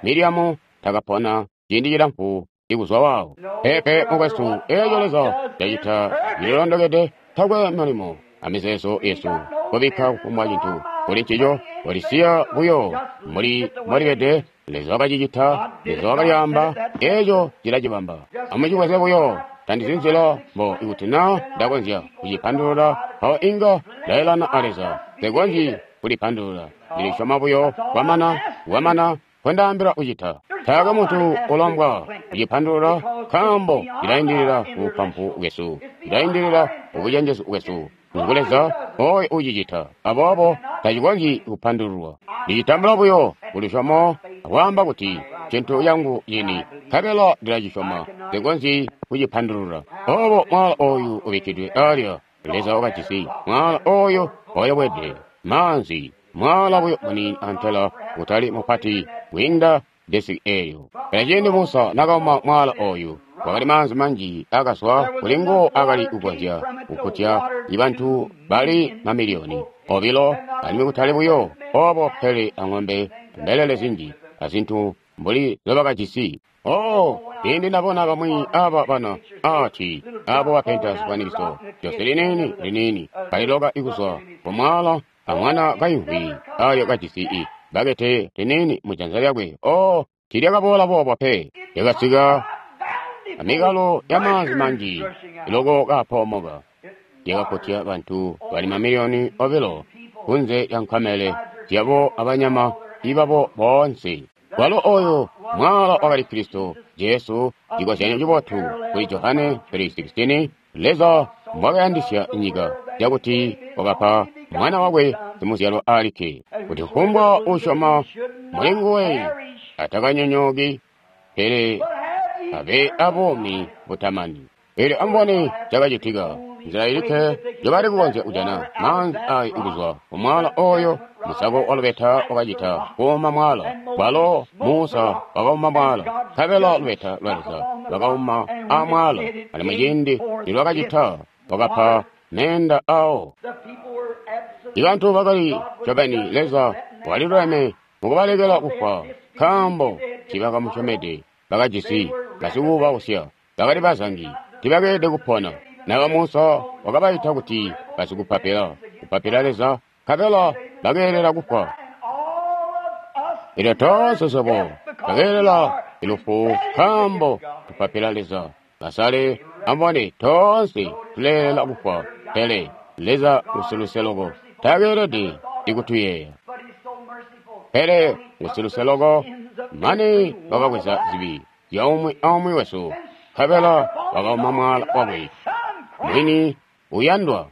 Miriamu takapona ciindi cilamfu. ikuzwa waawo. Peepe, mukwesu, eeco Leza cacita cililondokede, takwe mulimo amizeezo yesu kubikka kufumbwa cintu kuli ncico, kolisiya buyo mbuli mbolibede. Leza wakacicita, Leza wakalyaamba, eeco cilacibamba. Amucibweze buyo. Tandizi nzila mbo ikuti na ndakonzya kucipandulula, mpawo inga ndaelana a Leza. Nsekonzyi kulipandulula. Ndilisyoma buyo kwamana, kwamana nkondaambila kucita. Taakwe muntu ulombwa kucipandulula, nkaambo cilaindilila kubupampu bwesu, cilaindilila kubucenjezu bwesu. Ngu Leza oyo ucicita, aboobo tacikonzyi kupandululwa. Ndicitambula buyo kulusyomo akwaamba kuti cintu cangu cini, nkabela ndilacisyoma. Nsekonzyi kucipandulula. Obo mwaala oyu ubikkidwe alya, Leza wakajisi mwaala oyo wayobwede maanzi, mwaala buyo muniini antela kutali mupati kwiinda desiki eelyo. Pele ciindi Musa nakauma mwaala oyu, kwakali maanzi manji akazwa kuli nguwo akali kukonzya kukkutya bantu bali mamiliyoni 2, alimwi kutali buyo obo pele ang'ombe, mbelele zinji, azintu mbuli zobakajisi. Oh, ciindi ndabona bamwi aba bana ati abo bapenta zifwanikiso, jose liniini liniini kaliloka ikuzwa kumwala amwana kaimvwi ayo kajisi i bakete liniini mujanza lyakwe. Oh, tiilyakaboola boobo pe, lyakasika amikalo ya maanzi manji loko kapoomoka, lyakakkutya bantu bali mamiliyoni 2 kunze lya nkamele zyabo abanyama ibabo boonse. Walo oyo mwaala wakali Kristo Jesu, cikozyanyo cibotu kuli Johane 3:16, Leza mbwakayandisya nyika cakuti wakapa mwana wakwe simuzyalwa alikke, kuti kufumbwa usyoma muli nguwe atakanyonyooki, pele abe abuumi butamani. Eelyo amubone cakacitika. Nzila ilikke njobali kukonzya kujana maanzi ayo kuzwa kumwaala oyo, musako wa lubeta wakacita kuuma mwaala. Walo Musa wakauma mwaala, nkabela lubeta lwa Leza lwakauma amwaala, alimwi ciindi nilwakacita wakapa meenda awo. Ibantu bakali ncobeni Leza waliluleme mukubalekela kufwa, nkaambo tiibakamusyomede. Bakajisi basikubausya, bakali bazangi, tiibakeelede kupona. Naba Musa wakabaita kuti basikupapila, kupapila Leza, nkabela bakeelela kufwa. Elyo toonse swebo twakeelela lufu nkaambo tupapila Leza. Basale amubone, toonse tuleelela kufwa, pele Leza ngusiluse loko, takeelede ikutuyeeya. Pele ngusiluse loko, mane wakabweza zibi zya umwi aumwi wesu, nkabela wakauma mwaala wakwe mwini uyandwa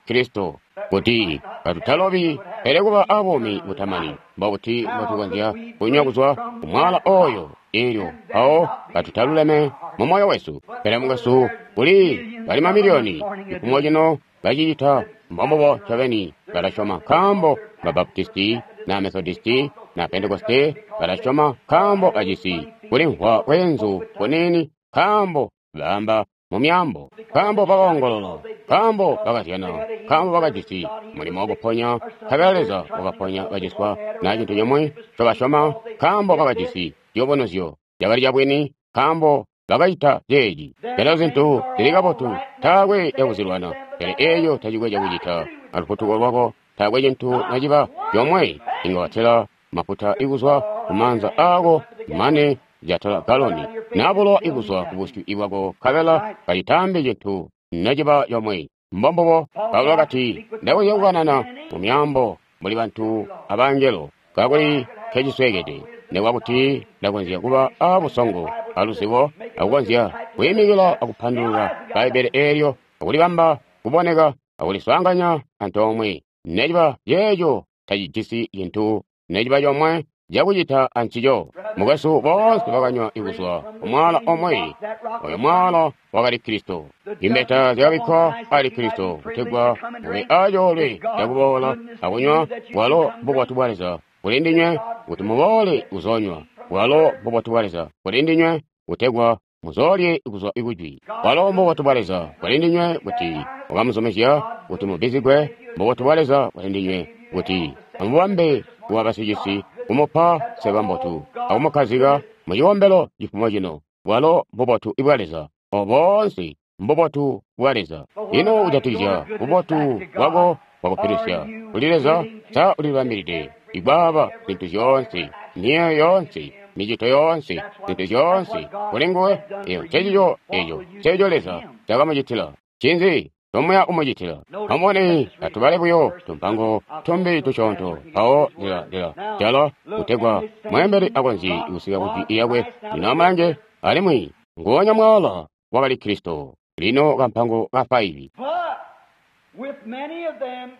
Kristo, kuti katutalobi pele kuba abuumi butamani. Mbobuti mbotukonzya kunywa kuzwa kumwaala oyo eelyo mpawo katutaluleme mu moyo wesu? Pele mukwesu, kuli bali mamiliyoni cifumo cino bacicita mbombubo ncobeni. Balasyoma nkaambo Babaptisti na Methodisti na Pentekoste, balasyoma nkaambo bajisi kulimvwa kweenzu kuniini, nkaambo baamba mu myaambo, nkaambo bakaongolola, nkaambo bakazyana, nkaambo bakajisi mulimo wakuponya, nkabela Leza wakaponya baciswa na cintu cimwi ncobasyoma, nkaambo bakajisi ciyubunuzyo cakali cabwini, nkaambo bakacita ceeci. Pele zintu zili kabotu, taakwe cakuzilwana, pele eeco tacikwe cakucita alufutuko lwako. Taakwe cintu naciba comwe inga watela mafuta ikuzwa kumaanza aako mane jatola galoni, na bulowa ikuzwa kubusyu bwako, nkabela kacitaambi cintu naciba comwe. Mbombubo Paulo wakati, ndakonzya kukanana mu myaambo mbuli bantu abangelo, kakuli nkecisweekede, nikuba kuti ndakonzya kuba abusongo aluzibo akukonzya kwiimikila akupandulula Bbaibbele eelyo akulibamba kuboneka akuliswaanganya antoomwe, neciba ceeco tacijisi cintu neciba comwe cakucita ancico. Mukwesu, boonse bakanywa ikuzwa kumwaala omwe, oyo mwaala wakali Kristo. Imbeta zyakabikkwa ali Kristo kutegwa mube acoolwe cakuboola akunywa bwalo bubotu bwa Leza kuli ndinywe, kuti muboole kuzoonywa bwalo bubotu bwa Leza kuli ndinywe, kutegwa muzoolye kuzwa ikujwi. Bwalo mbubotu bwa Leza kuli ndinywe, kuti wakamuzumizya kuti mubbizigwe. Mbubotu bwa Leza kuli ndinywe, kuti amubambe kuba basicisi, kumupa seba mbotu, akumukkazika mucikombelo cifumo cino. Bwalo mbubotu bwa Leza. Oboonse mbubotu bwa Leza. Ino kujatikizya bubotu bwako bwakupilusya kuli Leza? Sa ulibambilide ikwaaba zintu zyoonse, miyeeyo yoonse, micito yoonse, zintu zyoonse kuli nguwe? Eyo ncecico, eco nceco Leza cakamucitila. Ncinzi tomuya kumucitila? Amubone, atubale buyo tumpango tumbi tusyoonto, mpawo ndila jala kutegwa mweembeli akonzye kusika ku jwi lyakwe. Lino amulange, alimwi nguonya mwaala wakali Kristo. Lino kampango ka 5.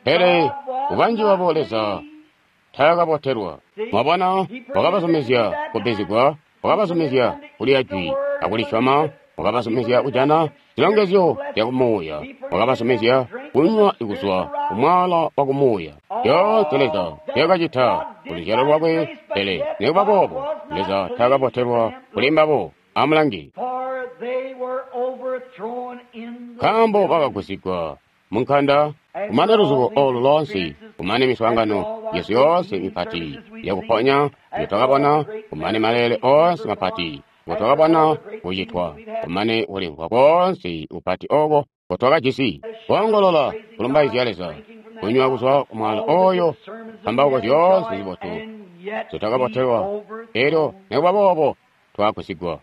Pele kubanji babo Leza taakabotelwa. Mwabona, wakabazumizya kubbizigwa, wakabazumizya kulya jwi akulisyoma, wakabazumizya kujana zilongezyo zya kumuuya, wakabazumizya kunywa kuzwa ku mwaala wa kumuuya. Zyoonse Leza nzyakacita ku luzyalo lwakwe, pele nikuba boobo Leza taakabotelwa kuli mbabo. Amulange, nkaambo bakagusigwa munkanda, kumane luzubo olu loonse, kumane miswaangano yesu yoonse mipati yakuponya njo twakabona, kumane maleele oonse mapati ngo twakabona kucitwa, kumane kulimvwa koonse kupati oko ngo twakajisi, koongolola kulumbaizya Leza, kunywa kuzwa ku mwaala oyo, mpambauko zyoonse zibotu nzo twakabotelwa, elyo nikuba boobo twagusigwa.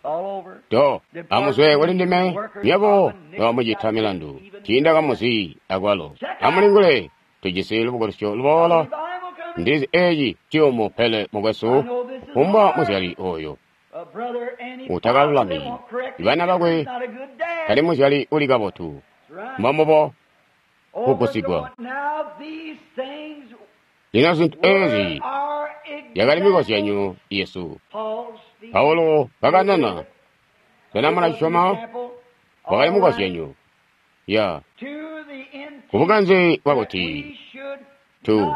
Do amuzwe kuli ndime, nywebo nomucita milandu, tiindakamuzi akwalo. Amulingule, tujisi lubukulusyo luboola. Ndizi eci ciyumu, pele mukwesu, kufumbwa muzyali oyo utakalulami bana bakwe tali muzyali uli kabotu. Mbombubo kugusigwa. Lino zintu ezi yakali mikozyanyo yesu. Paulo kakanana, sena mulasyoma? Wakali mukozyanyo ya kubukanze bwakuti tu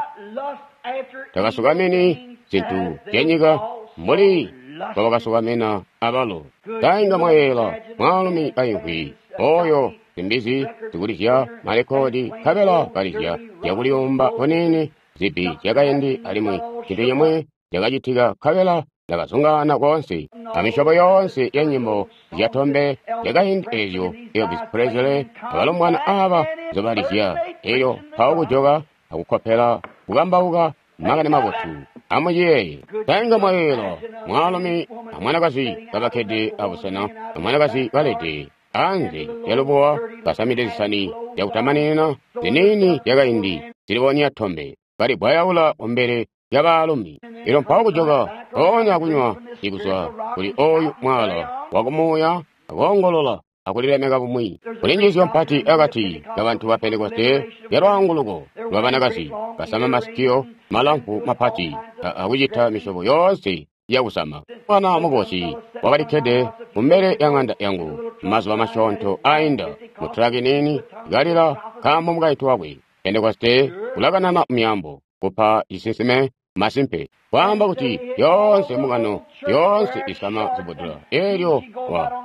takasukamini zintu zyanyika mbuli mbobakasukamina abalo. Tainga mwayeela mwaalumi kaimvwi oyo zimbizi zikulizya malekodi, nkabela kalizya zyakuliyumba kuniini zibbi zyakaindi, alimwi cintu cimwi cakacitika, nkabela ndakazungaana koonse amisyobo yoonse ya nyimbo zyatombe zyakaindi ezyo Elvis Presley abalombwana aba nzobalizya, elyo mpawo kujoka akukkopela kukambauka makani mabotu. Amuciyeeye, tainga mwayeela mwaalumi amwanakazi kabakkede abusena, amwanakazi kalede anze lyalubuwa kasamide zisani zyakutamanina ziniini zyakaindi zilibonya tombe, kalibwayaula kumbele lya baalumi. Elyo mpawo kujoka mpoonya kunywa ikuzwa kuli oyu mwaala wakumuuya, akoongolola akulilemeka bumwi. Kuli njiisyo mpati akati kabantu ba Pentekoste ya lwaanguluko lwa banakazi basama masikio malamfu mapati akucita misyobo yoonse yakusama. Mwana mukosi wakalikkede kumbele ya ŋanda yangu mazuba masyoonto ainda mutraki niini kalila nkaambo mukaintu wakwe Pentekoste ulakanana myaambo kupa cisinsime masimpe kwaamba kuti yoonse mbungano yoonse isama zibudula. Elyo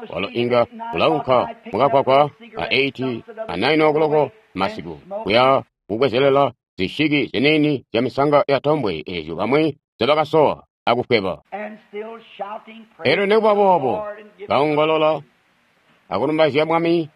walo inga ulaunka mukakwakwa a 8 a 9 okuloko masiku kuya kukwezelela zishiki ziniini zya misanga ya tombwe ezyo bamwi nzobakasowa akufweba. Elyo nikuba boobo kaongolola akulumbaizya Mwami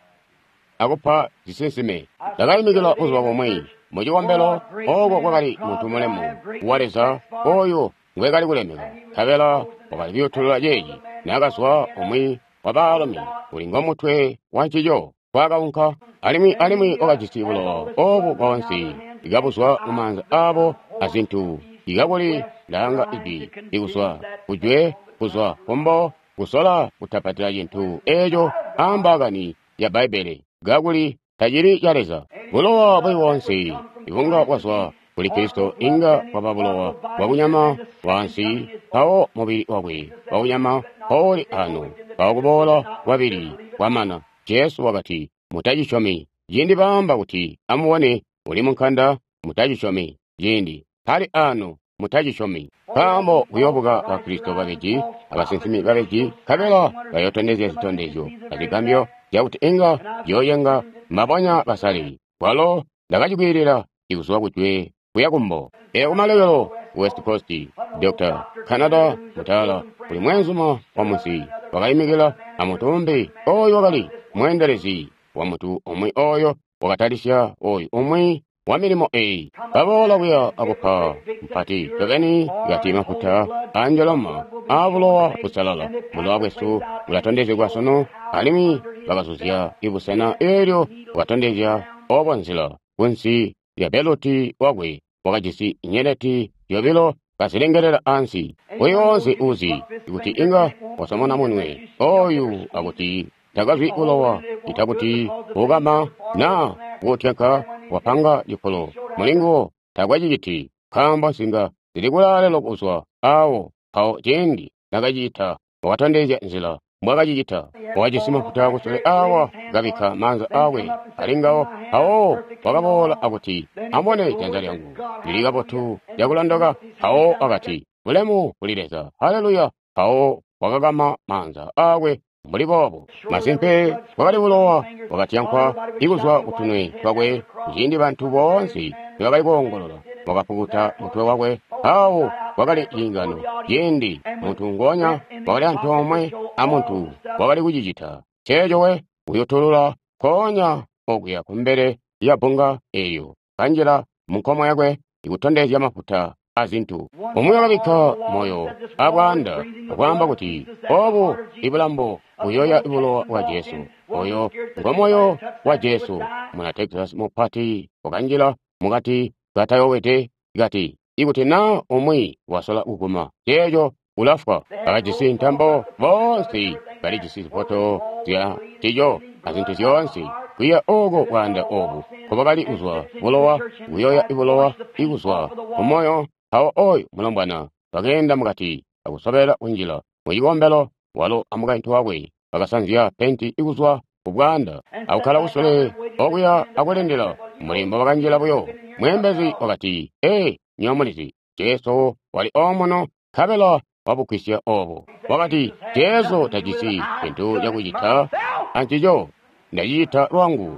akupa zisinsime. Ndakaimikila buzuba bumwi mucikombelo oko kwakali muntu mulemu wa Leza oyo ngwekali kulemeka, nkabela wakali kuyutulula ceeci naakazwa umwi wa baalumi uli ngomutwe wa ncico kwakaunka, alimwi wakajisi bulowa obu boonse ikabuzwa mumaanza aabo azintu ikakuli langa ijwi ikuzwa kujwe kuzwa kumbo kusola kutapatila cintu eeco ambaakani ya Bbaibbele kakuli tacili ca Leza. Bulowa buli boonse ibunga bwazwa kuli Kristo inga bwaba bulowa bwakunyama bwaansi, mpawo mubili wakwe wakunyama mpowuli ano, mpawo kuboola kwabili kwamana. Jesu wakati, mutacisyomi. Ciindi baamba kuti amubone uli munkanda, mutacisyomi. Ciindi pali ano, mutacisyomi. Nkaambo kuyoobuka ba Kristo babeji abasinsimi babeji, nkabela bayootondezya zitondezyo azigambyo zyakuti inga ziyooyenga mabonya basale. Kwalo ndakacikwiilila ikuzwa kujwe kuya kumbo. Elyo kumalekelo West Coast, Dr. Canada mutala kuli mweenzuma wa munsi wakayimikila amutumbi oyo wakali mweendelezi wa muntu umwi oyo wakatalisya oyu umwi wa milimo eyi. Baboola kuya akupa mpati ncobeni kati mafuta anjoloma abulowa busalala. Bulowa bwesu bulatondezegwa sunu, alimwi bakazuzya ibusena eelyo bwatondezya obo nzila kunsi lya beluti wakwe wakajisi nyeleti zyobilo kazilengelela ansi. Oyo woonse uzi kuti inga wasomona munwe oyu akuti takazwi bulowa ita kuti ukama na kutyanka wapanga cifulo mulinguwo takwaciciti, nkaambo nsinga zili kulaale kuzwa awo. Mpawo ciindi nakacita wakatondezya nzila mbwakacicita. Wakajisi mafuta kusule awa kabikka maanza akwe alingawo. Mpawo wakaboola akuti, amubone janza lyangu lili kabotu lyakulondoka. Mpawo wakati, bulemu kuli Leza, haleluya. Mpawo wakakama maanza akwe mbuli boobo. Masimpe bwakali bulowa bwakatyankwa ikuzwa kutunwe twakwe. Kuciindi bantu boonse nibakali koongolola, wakapukuta mutwe wakwe. Awo kwakali ciingano ciindi muntu ngonya wakali antoomwe amuntu wakali kucicita ceeco we uyutulula nkoonya okuya kumbele lya bbunga eelyo kanjila munkomo yakwe ikutondezya mafuta azintu. Umwi wakabikka moyo abwaanda akwaamba kuti obu ibulambo buyoya bulowa bwa Jesu. Oyo ngo moyo wa Jesu. Muna Texas mupati wakanjila mukati katayowede kati, ikuti na umwi wasola kuguma ceeco ulafwa. Bakajisi ntambo boonse, balijisi zifoto zya ncico azintu zyoonse. Kuya oko bwaanda obu nkobakali kuzwa bulowa, kuyoya bulowa ikuzwa kumoyo. Mpawo oyu mulombwana wakeenda mukati akusobela kunjila mucikombelo, walo amukaintu wakwe bakasanzya penti ikuzwa kubwaanda akukkala kusule okuya akulindila. Mulimbo bakanjila buyo. Mweembezi wakati, ee, nywebo mulizi, Jesu wali omuno, nkabela wabugwisya obo. Wakati, Jesu tajisi cintu cakucita ancico, ndacicita lwangu.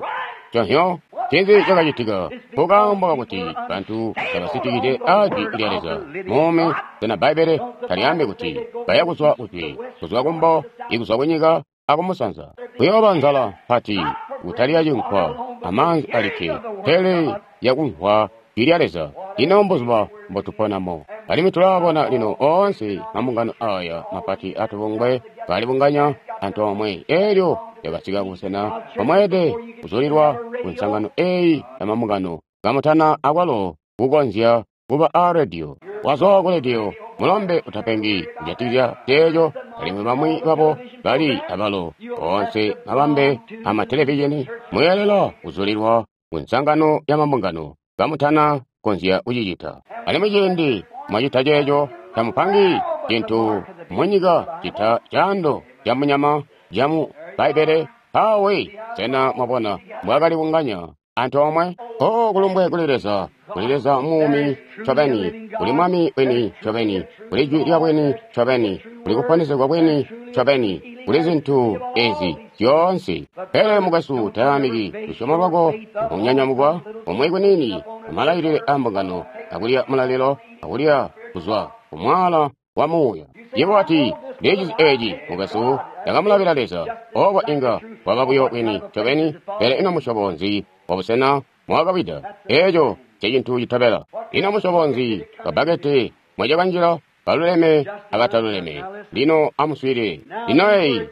Conhyo, ncinzi cakacitika? Nkaambo kakuti bantu tabasitikide ajwi lya Leza muumi. Sena Bbaibbele talyaambi kuti baya kuzwa kujwe, kuzwa kumbo, ikuzwa kunyika akumusanza? Kuyooba nzala mpati, kutalya cinkwa amaanzi alikke, pele yakumvwa jwi lya Leza. Ino mbuzuba mbotuponamo. Alimwi tulaabona lino oonse mambungano aya mapati atubungwe kalibunganya antoomwe. Eelyo lyakasika kubusena bwamweelede kuzulilwa ku nsangano eyi ya mambungano kamutana akwalo kukonzya kuba a rediyo. Wazwa ku rediyo, mulombe utapengi kujatikizya ceeco, alimwi bamwi babo bali abalo oonse mabambe amatelevizhini. Muyeelela kuzulilwa ku nsangano ya mambungano kamutana konzya kucicita. Alimwi ciindi mwacita ceeco, tamupangi cintu munyika cita caando ca munyama camu Bbaibbele. Mpawe sena mwabona mbwakali bunganya antoomwe? Oh, kulumbwe kuli Leza, kuli Leza muumi ncobeni, kuli Mwami wini ncobeni, kuli Jwi lya bwini ncobeni, kuli kuponesegwa bwini ncobeni, kuli zintu ezi zyoonse. Pele mukwesu, tayaamiki lusyomo lwako nkunyanyamukwa umwi kuniini amalailile a mbungano, akulya mulalilo, akulya kuzwa kumwaala wa muuya. Yebo wati, Ndicizi eci, mukwesu, ndakamulabila Leza. Oko inga waba buyo bwini ncobeni, pele ino musyobo nzi wa busena mwakawida? Eco ncecintu citobela. Ino musyobo nzi wa bbakete mwacakanjila? Baluleme abataluleme. Lino amuswiilile. Lino eyi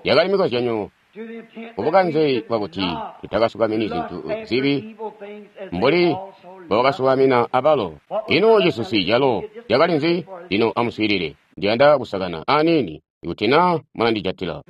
yakali mikozyanyo kubukanze bwakuti tutakasukamini zintu zibi mbuli mbobakasukamina abalo. Ino cisusi calo cakali nzi? Lino amuswiilile. Ndiyanda kusakana aniini ikuti na mulandijatila.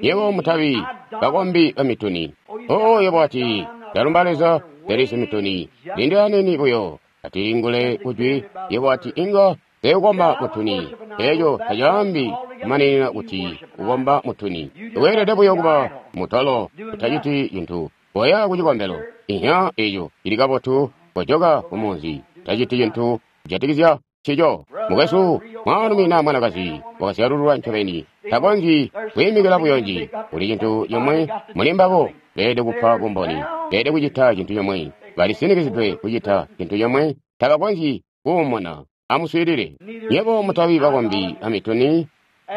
Yebo mutabi bakombi bamituni. Oh, yebo ati, ndalumba Leza, delisi mituni. Lindi aniini buyo atilingule kujwi. Yebo ati inga seukomba mutuni. Eco tacaambi kumaninina kuti ukomba mutuni. Weelede buyo kuba mutolo, utaciti cintu. Koya kucikombelo. Inya eco cili kabotu. Kojoka kumunzi. Taciti cintu kujatikizya ncico. Mukwesu, mwaalumi naa mwanakazi wakazyalululwa ncobeni takonzyi kwiimikila buyo nji. Kuli cintu cimwe muli mbabo, beelede kupa bumboni, beelede kucita cintu cimwe, balisinikizidwe kucita cintu cimwe, tabakonzyi kuumuna. Amuswiilile. Nyebo mutabi bakombi amituni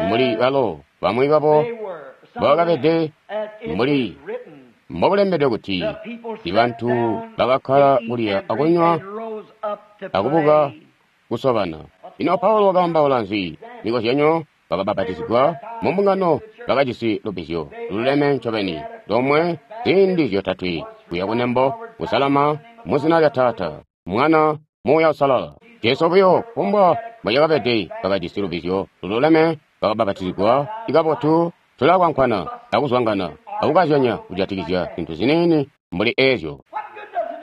mbuli balo bamwi babo mbobakabede mbuli mbokulembedwe kuti ibantu bakakkala kulya akunywa akubuka kusobana. Ino Paulo wakaambaula nzi? Mikozyanyo bakabapatizigwa mumbungano bakajisi lubbizyo lululeme ncobeni lomwe ziindi zyotatwe kuya kunembo kusalama muzina lya Taata, Mwana, Muuya Uusalala. Jesu buyo kumbwa mbocakabede bakajisi lubbizyo lululeme bakabapatizigwa ikabotu tulakwankwana akuzwangana akukazyanya kujatikizya zintu ziniini mbuli eezyo.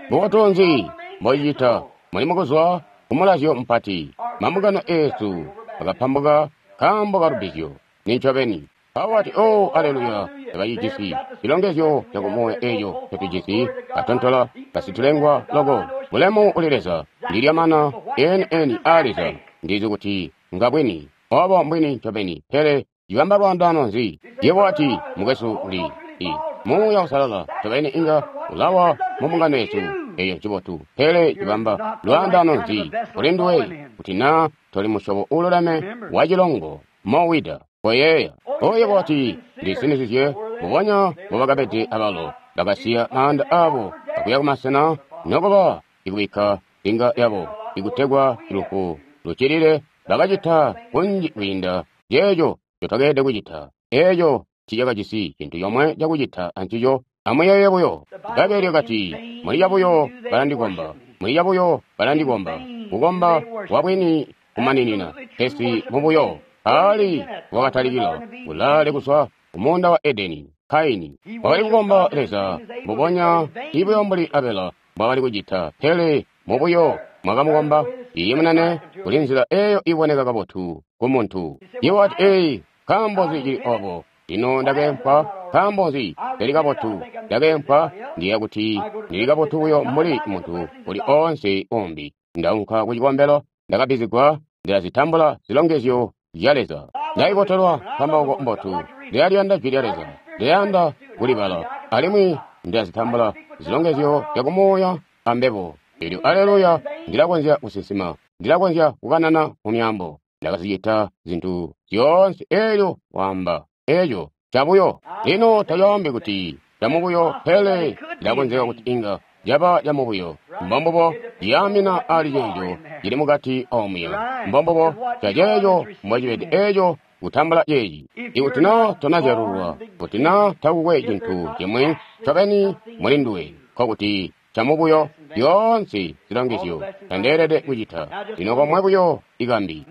Mbubotu nzi mbocicita muli mukuzwa kumulazyo mupati? Mambungano eesu akapambuka nkaambo kalubbizyo. Nincobeni. Paulo wati, oh, aleluya, tabacijisi cilongezyo cakumuuya eeco ncotujisi, katontola kasitulengwa loko. Bulemu kuli Leza, ndilya mana eni-eni aa Leza, ndizi kuti ngabwini. Obo mbwini ncobeni, pele cibamba lwaandaano nzi? Yebo wati, mukwesu uli i Muuya Uusalala ncobeni inga ulawa mu mbungano yesu. Eyo ncibotu, pele cibamba lwaandaano nzi kuli nduwe kuti naa toli musyobo uululeme wa cilongo mowida? Koyeeya. Oyo wati, ndisinizizye mbubonya mbobakabede abalo, bakasiya maanda abo akuya kumasena nokuba ikubikka inga yabo ikutegwa lufu lucilile. Bakacita kunji kwiinda ceeco ncotwakeelede kucita. Eeco ncicakajisi cintu comwe cakucita ancico. Amuyeeye buyo. Bbaibbele lyakati, muli cabuyo balandikomba, muli cabuyo balandikomba, kukomba kwabwini kumaninina, pesi mubuyo. Ali wakatalikila kulaale kuzwa kumuunda wa Edeni. Kaini wakali kukomba Leza mbubonya ibuyo mbuli Abela mbwakali kucita, pele mubuyo mwakamukomba. Iye munene, kuli nzila eyo iboneka kabotu kumuntu. Iye wati, ee, nkaambo nzi cili obo? Lino ndakeempwa. Nkaambo nzi teli kabotu? Ndakeempwa. Ndiya kuti ndili kabotu buyo mbuli muntu uli oonse umbi. Ndaunka ku cikombelo, ndakabbizigwa, ndilazitambula zilongezyo zya Leza. Ndaibotelwa nkambauko mbotu. Ndilaliyanda jwi lya Leza. Ndiyanda kulibala. Alimwi ndilazitambula zilongezyo zya kumuuya ambebo. Elyo aleluya, ndilakonzya kusinsima. Ndilakonzya kukanana mu myaambo. Ndakazicita zintu zyoonse elyo waamba eco cabuyo. Lino tacaambi kuti camubuyo, pele cilakonzeka kuti inga caba camubuyo. Mbombubo ciyaamina ali ceeco cili mukati omuya. Mbombubo caceeco mbocibede eeco kutambula ceeci. Ikuti naa tonazyalululwa, kuti naa takukwe cintu cimwi ncobeni muli nduwe, nkokuti camubuyo zyoonse zilongezyo tandeelede kucita. Lino komwe buyo ikambi.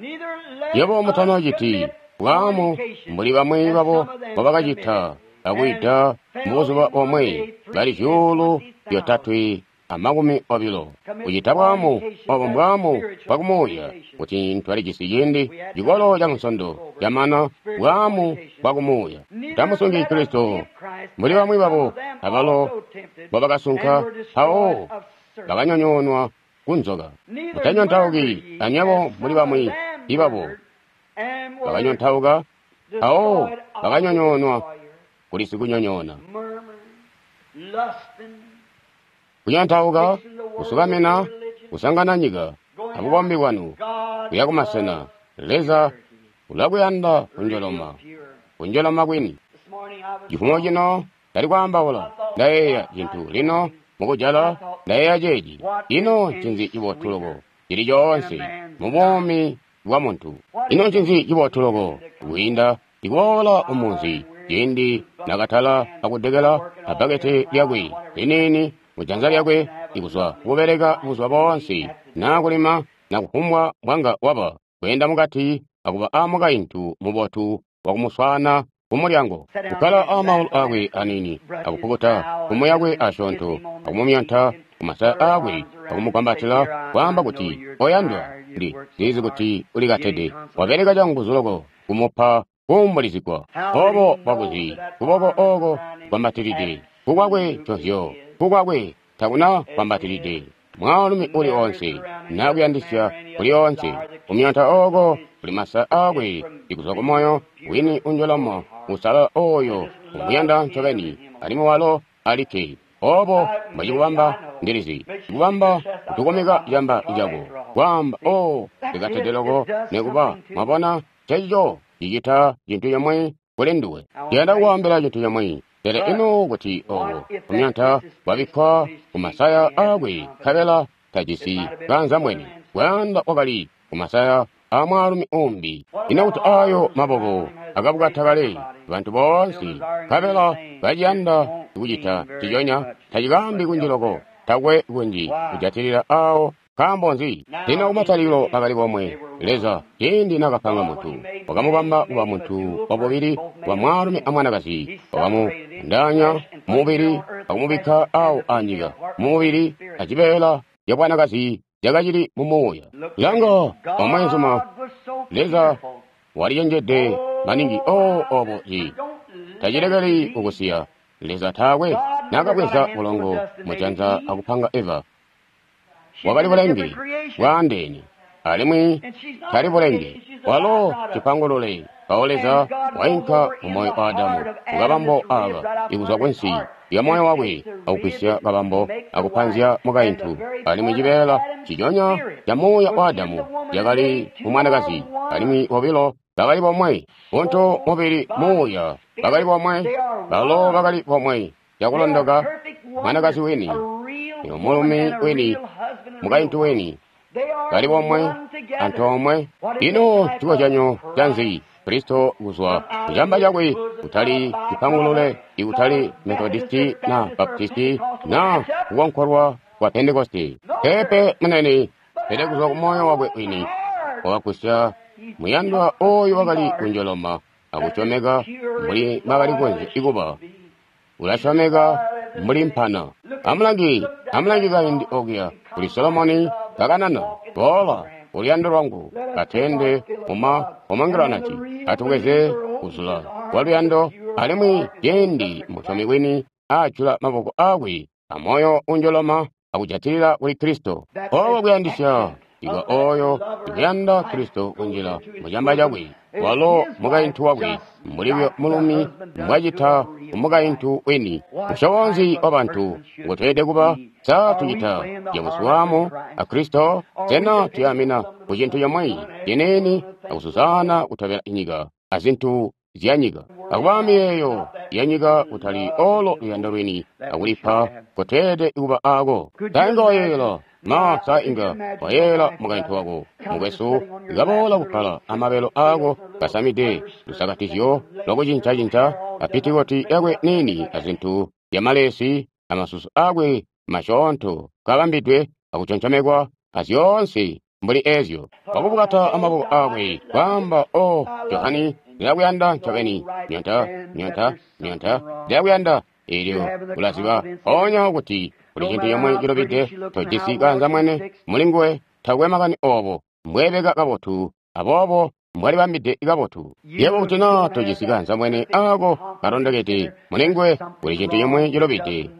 Yebo mutanociti bwaamu mbuli bamwi babo mbobakacita akuida mubuzuba bomwe bali 320,000. Kucita bwaamu obo mbwaamu bwakumuuya kuti twalijisi ciindi cikolo ca Nsondo camana bwaamu bwakumuuya. Tamusungi Kristo mbuli bamwi babo abalo mbobakasunka mpawo bakanyonyoonwa kunzoka. Mutanyontauki anywebo mbuli bamwi ibabo bakanyontauka mpawo bakanyonyoonwa kuli sikunyonyoona. Kunyontauka, kusukamina, kusangana nyika abukombi bwanu kuya kumasena. Leza ulakuyanda kunjoloma, kunjoloma kwini. Cifumo cino ndali kwaambaula, ndayeeya cintu lino mukujala ndayeeya ceeci. Ino ncinzi cibotu loko cili coonse mubuumi bwa muntu? Ino ncinzi cibotu loko kwiinda ikuboola umunzi ciindi nakatala akudekela abbakete lyakwe liniini mujanza lyakwe ikuzwa kubeleka buzuba boonse naa kulima na kufumbwa mbwanga waba kweenda mukati akuba amukaintu mubotu wakumuswaana kumulyango, kukkala amaulu akwe aniini akupukuta kumu yakwe asyoonto akumumyonta kumasaya aakwe akumugwambatila kwaamba kuti, oyandwa, ndizi kuti ulikatede, wabeleka canguzu loko kumupa kuumbulizigwa. Obo bwakuzi kuboko oko gwambatilide kukwakwe nconzyo, kukwakwe takuna gwambatilide mwaalumi uli oonse nakuyandisya kuli oonse. Kumyonta oko kuli masaya aakwe ikuzwa kumoyo wini unjoloma usalala oyo umuyanda ncobeni alimwi walo alikke. Obo mbwacikubamba ndilizi, cikubamba kutukumika camba cako kwaamba, o likatede loko nekuba. Mwabona, ncecico cicita cintu cimwi kuli nduwe. Ndiyanda kukwaambila cintu cimwi. Pele ino kuti obo kumyanta kwabikkwa ku masaya aakwe nkabela tajisi kaanzambwene, bwaanda wakali ku masaya a mwaalumi umbi. Ino kuti ayo maboko akabukata kale bantu boonse nkabela baciyanda kucita nciconya, tacikaambi kunji loko, takwe kunji kujatilila awo. Nkaambo nzi? Lino kumatalikilo bakali bomwe. Leza, ciindi nakapanga muntu, wakamubamba kuba muntu wabubili wa mwaalumi amwanakazi, wakamuandaanya mumubili akumubikka awo anyika mumubili acibeela cabwanakazi cakacili mumuuya. Langa, omweenzuma, Leza walicenjede maningi. O obo ci tacilekeli kukusiya. Leza taakwe nakabweza bulongo mujanza akupanga Eva. Wakali bulenge bwaandeene, alimwi tali bulenge. Walo cipangulule. Mpawo Leza wainka mumoyo wa Adamu kukabambo aka ikuzwa kunsi lya moyo wakwe akugwisya kabambo akupanzya mukaintu, alimwi cibeela ciconya ca muuya wa Adamu cakali mu mwanakazi, alimwi bobilo bakali bomwe. Buntu, mubili, muuya bakali bomwe. Balo bakali bomwe cakulondoka. Mwanakazi wini, mulumi wini, mukaintu wini, bali bomwe antoomwe. Ino cikozyanyo canzi? Kristo kuzwa kucamba cakwe, kutali cipangulule, ikutali Methodisti na Baptisti na kukonkolwa kwa Pentekoste, pepe munene, pele kuzwa ku moyo wakwe wini wakagusya muyandwa oyo wakali kunjoloma akusyomeka mbuli mwakali konzya ikuba. Ulasyomeka mbuli mpana. Amulangi, amulangi kaindi okuya kuli Solomoni kakanana, boola uluyando lwangu katende muma pomegiranati, atubweze kuzula kwa luyando. Alimwi ciindi musyomi wini ajula maboko akwe amoyo unjoloma akujatilila kuli Kristo, obo kuyandisya ikwa oyo ikuyanda Kristo kunjila mucamba cakwe, walo mukaintu wakwe, mbuli mulumi mbwacita umukaintu wini. Musyobo wa bantu ngotweelede kuba? Sa tucita cakuswamu a Kristo? Sena tuyamina ku cintu comwe ciniini akusuzana kutobela nyika azintu zyanyika, akuba miyeeyo yanyika, kutali olo luyando lwini akulipa kotweelede kuba ako? Sa inga wayeeyela ma sa inga wayeeyela mukaintu wako mukwesu ikaboola kukkala amabelo aako kasamide lusakatizyo lwakucinca-cinca apitikoti yakwe niini azintu zyamalesi amasusu akwe masyoonto kabambidwe akuconcomekwa azyoonse mbuli ezyo, wakubukata amaboko akwe kwaamba, o Johani, ndilakuyanda ncobeni, nyonta nyonta nyonta, ndilakuyanda. Eelyo ulaziba mpoonya kuti kuli cintu comwe cilubide, tojisi kaanzambwene mulinguwe. Takwe makani obo mbweebeka kabotu aboobo mbwalibambide kabotu. Yebo kuti naa tojisi kaanzambwene ako kalondokede mulinguwe, kuli cintu comwe cilubide.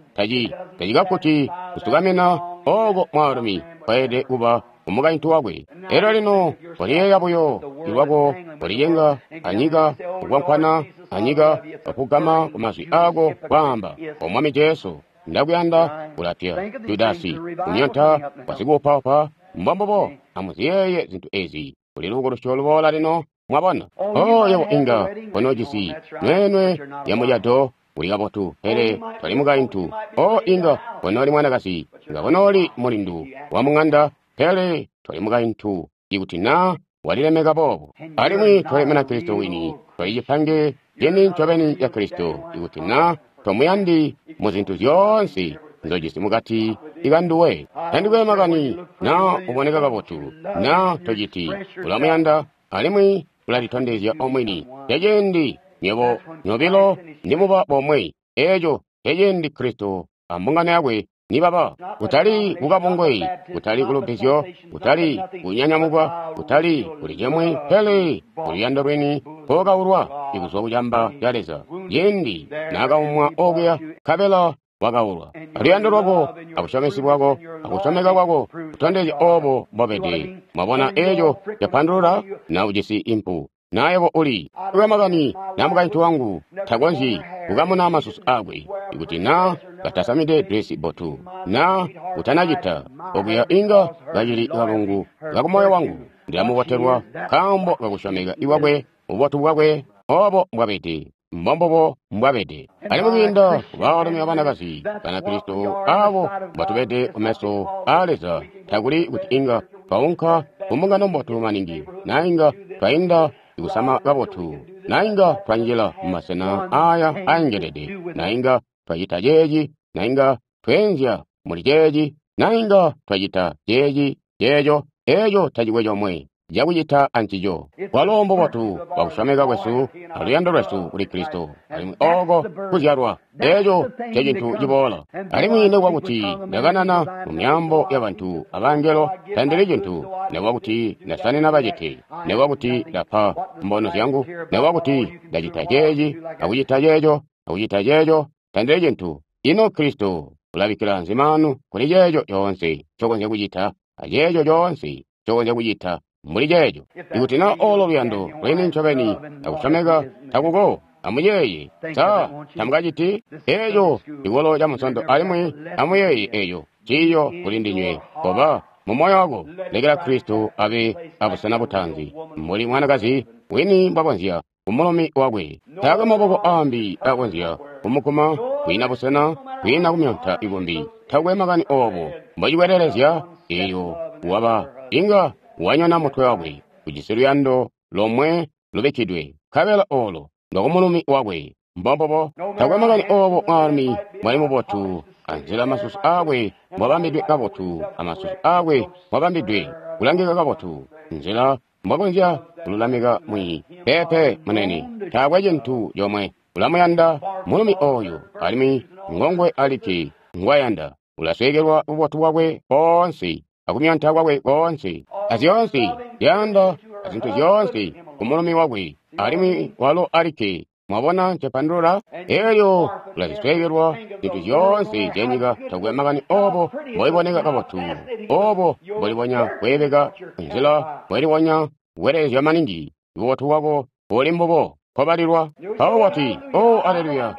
Tacikakuti kusukamina oko mwaalumi kwayelede kuba umukaintu wakwe. Elyo lino koliyeeya buyo lwako, kolicenga anyika, kukwankwana anyika, akugama ku mazwi ako kwaamba, O Mwami Jesu, ndakuyanda. Ulapya Judasi kumyonta wasikuupaupa. Mbombubo, amuziyeeye zintu ezi. Kuli lubukulusyo luboola lino, mwabona. O yebo inga konojisi nweenwe ya mucado uli kabotu, pele toli mukaintu. O inga konoli mwanakazi, inga konoli mulindu wa mung'anda, pele toli mukaintu ikuti naa walilemeka boobo. Alimwi toli Munakristo wini, toli cipange cini ncobeni ca Kristo ikuti naa tomuyandi mu zintu zyoonse nzojisi mukati ikanduwe. Tandikwe makani naa uboneka kabotu naa tociti, ulamuyanda alimwi ulalitondezya omwini. Ceciindi nywebo nyobilo nimuba bomwe, eeco ceciindi Kristo ambungano yakwe nibaba, kutali kukabungwe, kutali kulubbizyo, kutali kunyanyamukwa, kutali kuli cimwi, pele kuluyando lwini mpokaulwa ikuzwa kucamba ca Leza. Ciindi naakaumwa okuya nkabela wakaulwa. Aluyando lwako, abusyomesi bwako, akusyomeka kwako kutondezya obo mbobede. Mwabona eeco capandulula? Na ujisi impu, na yebo uli lwamakani na mukaintu wangu takonzyi kukamuna masusu akwe ikuti na katasamide dresi botu na kutanacita okuya inga kacili kalungu kakumoyo wangu. Ndilamubotelwa nkaambo kakusyomeka kwakwe, bubotu bwakwe, obo mbwabede, mbombubo mbwabede. Alimwi kwiinda kubaalumi abanakazi Banakristo abo mbatubede kumeso aa Leza, takuli kuti inga twaunka kumbungano mbotu maningi, na inga twainda kusama kabotu, na inga twanjila mumasena aya aengelede, na inga twacita ceeci, na inga tweenzya muli ceeci, na inga twacita ceeci, ceeco, eeco tacikwe comwe cakucita ancico. Kwalo mbubotu bwakusyomeka kwesu aluyando lwesu kuli Kristo, alimwi oko kuzyalwa, eeco ncecintu ciboola. Alimwi nikuba kuti ndakanana mu myaambo yabantu abangelo, tandili cintu, nikuba kuti ndasanina bacete, nikuba kuti ndapa mbono zyangu, nikuba kuti ndacita ceeci, akucita ceeco, akucita ceeco, tandili cintu. Ino Kristo ulabikkila nzi maanu kuli ceeco coonse ncokonzya kucita, aceeco coonse ncokonzya kucita mbuli ceeco? Ikuti na olo luyando lwini ncobeni akusyomeka takuko, amuyeeye, sa tamukaciti eeco cikolo ca Munsondo, alimwi amuyeeye eeco ciiyo kuli ndinywe. Koba mu moyo wako, lekela Kristo abe abusena butaanzi, mbuli mwanakazi wini mbwakonzya kumulumi wakwe. Taakwe maboko aambi akonzya kumukuma, kwiina busena, kwiina kumyonta ikumbi. Takwe makani obo mbocikwelelezya eeyo waba inga wanyona mutwe wakwe, ujisi luyando lomwe lubikkidwe, nkabela olo ndwakumulumi wakwe. Mbombobo, takwe makani obo mwaalumi mwali mubotu, anzila masusu aakwe mbwabambidwe kabotu, amasusu aakwe mbwabambidwe kulangika kabotu, nzila mbwakonzya kululamika mwi pepe munene, taakwe cintu comwe. Ulamuyanda mulumi oyu, alimwi ngongwe alikke ngwayanda. Ulasweekelwa bubotu bwakwe boonse akumyonta kwakwe koonse, azyoonse zyanda azintu zyoonse kumulumi wakwe, alimwi walo alikke. Mwabona ncepandulula? Elyo ulazisweekelwa zintu zyoonse zyanyika. Takwe makani obo mboiboneka kabotu, obo mbolibonya kweebeka, nzila mbolibonya kukwelelezya maningi, bubotu bwako buli mbubo kobalilwa. Mpawo wati, "O aleluya,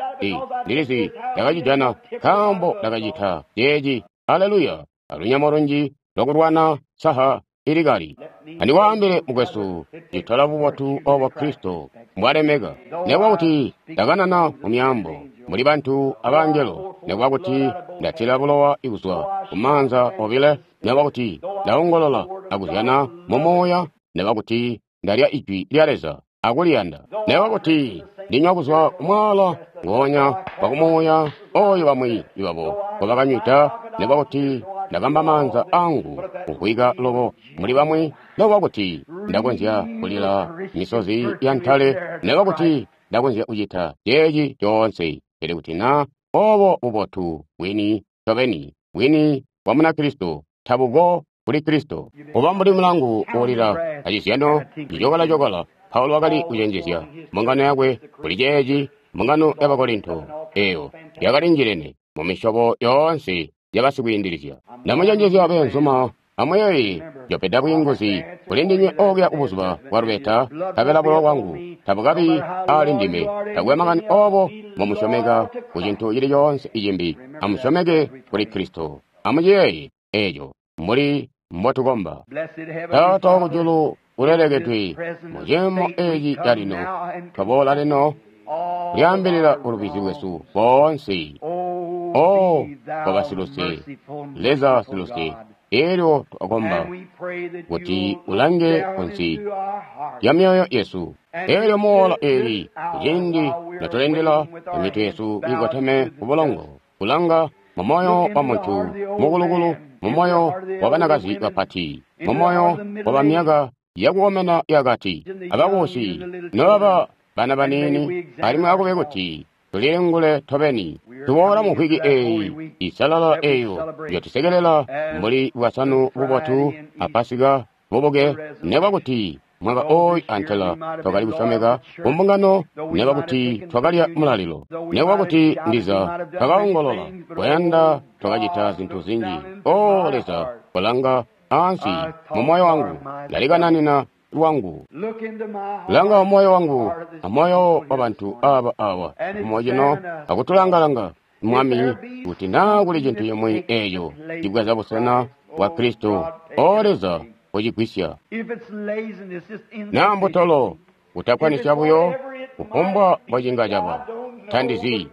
ndilizi ndakacijana nkaambo ndakacita ceeci. Aleluya, alunyemo lunji lwakulwana saha ilikali." Andikwaambile mukwesu, citola bubotu obo Kristo mbwalemeka. Nikuba kuti ndakanana mu myaambo muli bantu abangelo, nikuba kuti ndatila bulowa kuzwa kumaanza obile, nikuba kuti ndaongolola akuzyana mu muuya, nikuba kuti ndalya ijwi lya Leza akuliyanda, nikuba kuti ndinywa kuzwa kumwaala ngoonya wakumuuya oyo bamwi babo ngobakanywida, nikuba kuti ndakamba maanza angu kumvwika loko muli bamwi, nikuba kuti ndakonzya kulila misozi ya ntale, nikuba kuti ndakonzya kucita ceeci coonse, pele kuti na obo bubotu bwini ncobeni bwini bwa Munakristo tabuko kuli Kristo. Kuba mbuli mulangu uulila acizyano cicokola-cokola, Paulo wakali kucenjezya mbungano yakwe kuli ceeci, mbungano ya Bakorinto eeyo yakalinjilene mu misyobo yoonse yabasikwiindilizya. Ndamucenjezya beenzuma, amuyeeye njopeda bwiinguzi kuli ndinywe okuya kubuzuba bwa lubeta, nkabela bulowa bwangu tabukabi ali ndime. Takwe makani obo mbomusyomeka ku cintu cili coonse icimbi, amusyomeke kuli Kristo. Amuciyeeye eeco mbuli mbotukomba. Taata wakujulu ulelekedwe, mu ciimo eeci calino, twaboola lino kulyaambilila bulubizi bwesu boonse. O koba siluse, Leza siluse, elyo twakomba kuti ulange kunsi lya myoyo yesu. Elyo muola eli, kuciindi notulindila emitwe yesu ikoteme ku bulongo, kulanga mu moyo wa muntu mukulukulu, mu moyo wa banakazi bapati, mu moyo wa bamyaka yakukomena yakati, abakubusi nobaba bana baniini, alimwi akube kuti tulilingule tobeni. Tuboola mu mvwiki eeyi isalala eeyo njotusekelela mbuli Bwasanu bubotu a Pasika bubuke, nekuba kuti mwaka ooyu antela twakali kusyomeka kumbungano, nekuba kuti twakalya mulalilo, nekuba kuti ndiza twakaongolola kuyanda twakacita zintu zinji. O Leza, kolanga ansi mu moyo wangu, ndalikananina lwangu. Langa moyo wangu amoyo wa bantu aba awa mumo cino akutulangalanga, Mwami, kuti naa kuli cintu cimwi eeco cibweza busena bwa Kristo. O Leza, Kocigwisya. Naa mbutolo, kutakkwanisya buyo, kufumbwa mbocinga caba. Ta ndizi.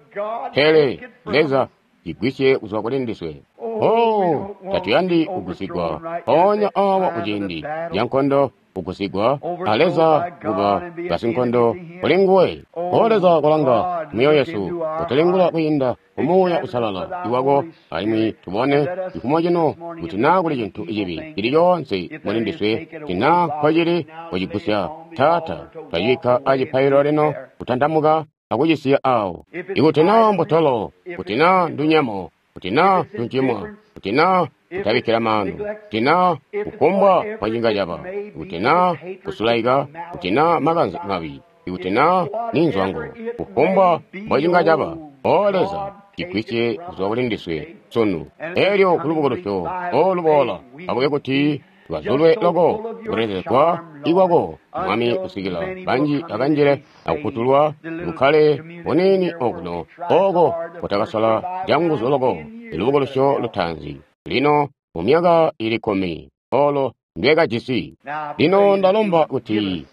Pele, Leza, cigwisye kuzwa kuli ndiswe. Oh, tatuyandi kugusigwa mpoonya awa kuciindi ca nkondo, kugusigwa a Leza kuba basinkondo kuli nguwe. O Leza, kolanga myoyo yesu, kutulingula kwiinda ku Muuya Uusalala iwako, alimwi tubone cifumo cino kuti naa kuli cintu cibi cili coonse muli ndiswe, kuti naa nkocili, kocigusya. Taata, twacibikka acipaililo lino, kutantamuka akucisiya awo. Ikuti naa mbutolo, kuti naa ndunyemo, kuti naa tuncimwa, kuti naa kutabikkila maanu, kuti naa kufumbwa mbocinga caba, kuti naa kusulaika, kuti naa makanze mabi, ikuti naa ni nzwango, kufumbwa mbocinga caba, O Leza, cigwisye kuzwa kuli ndiswe sunu. Elyo kulubukulusyo oluboola, akube kuti tukazulwe loko kuletezegwa ikwako, Mwami, kusikila banji akanjile akufutulwa, bukkale buniini okuno, oko kutakasola canguzu loko lubukulusyo lutaanzi. Lino mu myaka ili 10 olo ndwekajisi. Lino ndalomba kuti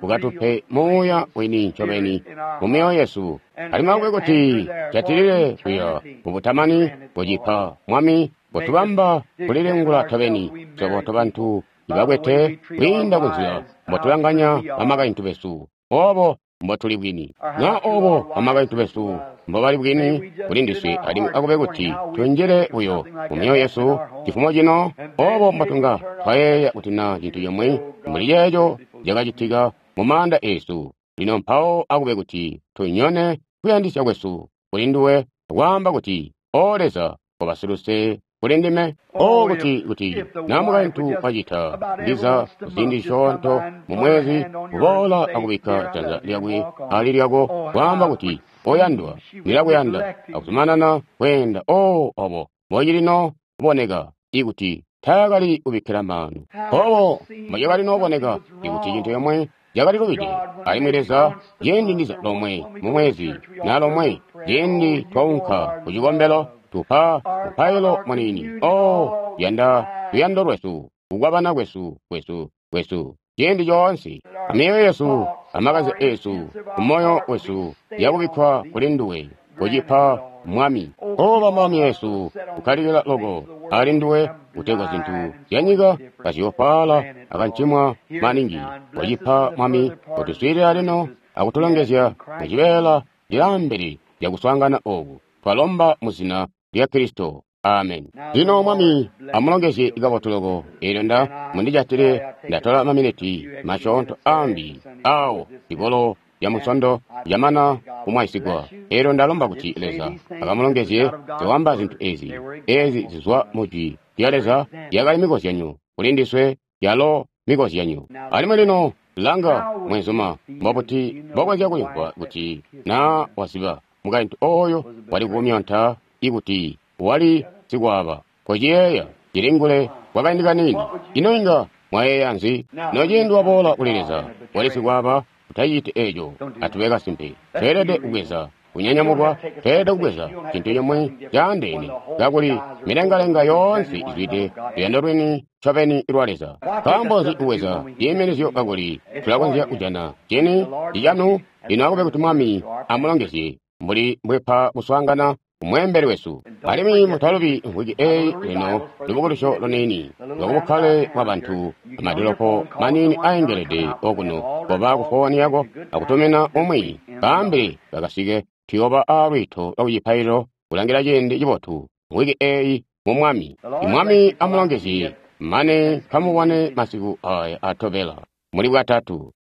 ukatupe Muuya wini ncobeni mu myoyo yesu, alimwi akube kuti jatilile kuya mubutamani kucipa, Mwami, kutubamba kulilingula tobeni swebo tobantu ibakwete kwiinda kunzila mbotulanganya bamakaintu besu, obo mbotuli bwini, na obo bamakaintu besu mbobali bwini kuli ndiswe, alimwi akube kuti tunjile buyo mu myoyo yesu cifumo cino, obo mbotunga twayeeya kuti na cintu cimwi mbuli ceeco cakacitika mu maanda esu. Lino mpawo akube kuti tunyone kuyandisya kwesu kuli nduwe, kwaamba kuti, O Leza, koba siluse kuli ndime. O kuti, kuti na mukaintu wacita ndiza kuziindi zisyoonto mu mwezi, kuboola akubikka janza lyakwe ali lyako, kwaamba kuti, Oyandwa, ndilakuyanda, akuzumanana kweenda. O obo mbocilino kuboneka ikuti taakali kubikkila maanu, obo mbocakali noboneka ikuti cintu comwe cakali lubide. Alimwi Leza, ciindi ndiza lomwe mu mwezi na lomwe ciindi twaunka ku cikombelo, tupa mupailo muniini. O yanda luyando lwesu, kukwabana kwesu, kwesu, kwesu ciindi coonse, amyoyo yesu, amakanze esu, kumoyo wesu yakubikkwa kuli nduwe, kucipa Mwami. Oba Mwami yesu, kukkalikila loko ali nduwe, kutegwa zintu zya nyika kaziyofaala akancimwa maningi. Kucipa Mwami, kutuswiilila lino akutulongezya mucibeela lyaambele lyakuswaangana oku. Twalomba mu zina lya Kristo. Amen. Lino Mwami amulongezye kabotu loko. Elyo nda mundijatile, ndatola maminiti masyoonto ambi awo likolo lya Munsondo lyamana kumwaisigwa. Elyo ndalomba kuti Leza akamulongezye. Nzewamba zintu ezi, ezi zizwa mu Jwi lya Leza, yakali mikozyanyo kuli ndiswe, yalo mikozyanyo. Alimwi lino langa, mwenzuma, mbobuti mbokonzya kulimvwa kuti na waziba mukaintu oyo wali kumyonta ikuti wali sikwaaba? Kociyeeya, cilingule kwakaindi kaniini. Ino inga mwayeeya nzi? Nociindi waboola kuli Leza, wali sikwaaba, utaciti eco. Atube kasimpe. Tweelede kubweza kunyanyamukwa, tweelede kubweza cintu cimwi caandeene, kakuli milengalenga yoonse izwide luyando lwini ncobeni lwa Leza. Nkaambo nzi kubweza ciiminizyo kakuli tulakonzya kujana cini cicanu? Lino akube kuti Mwami amulongezye mbuli mbwepa kuswaangana kumweembeli wesu. Alimwi mutalubi mvwiki eyi lino lubukulusyo luniini lwakubukkale bwa bantu, amadolopo maniini aengelede okuno. Koba ku fooni yako akutumina umwi, kaambile bakasike. Tuyooba a lwiito lwa kucipaililo kulangila ciindi cibotu mvwiki eyi mu Mwami. Imwami amulongezye mane kamubone masiku aya atobela muli Bwatatu.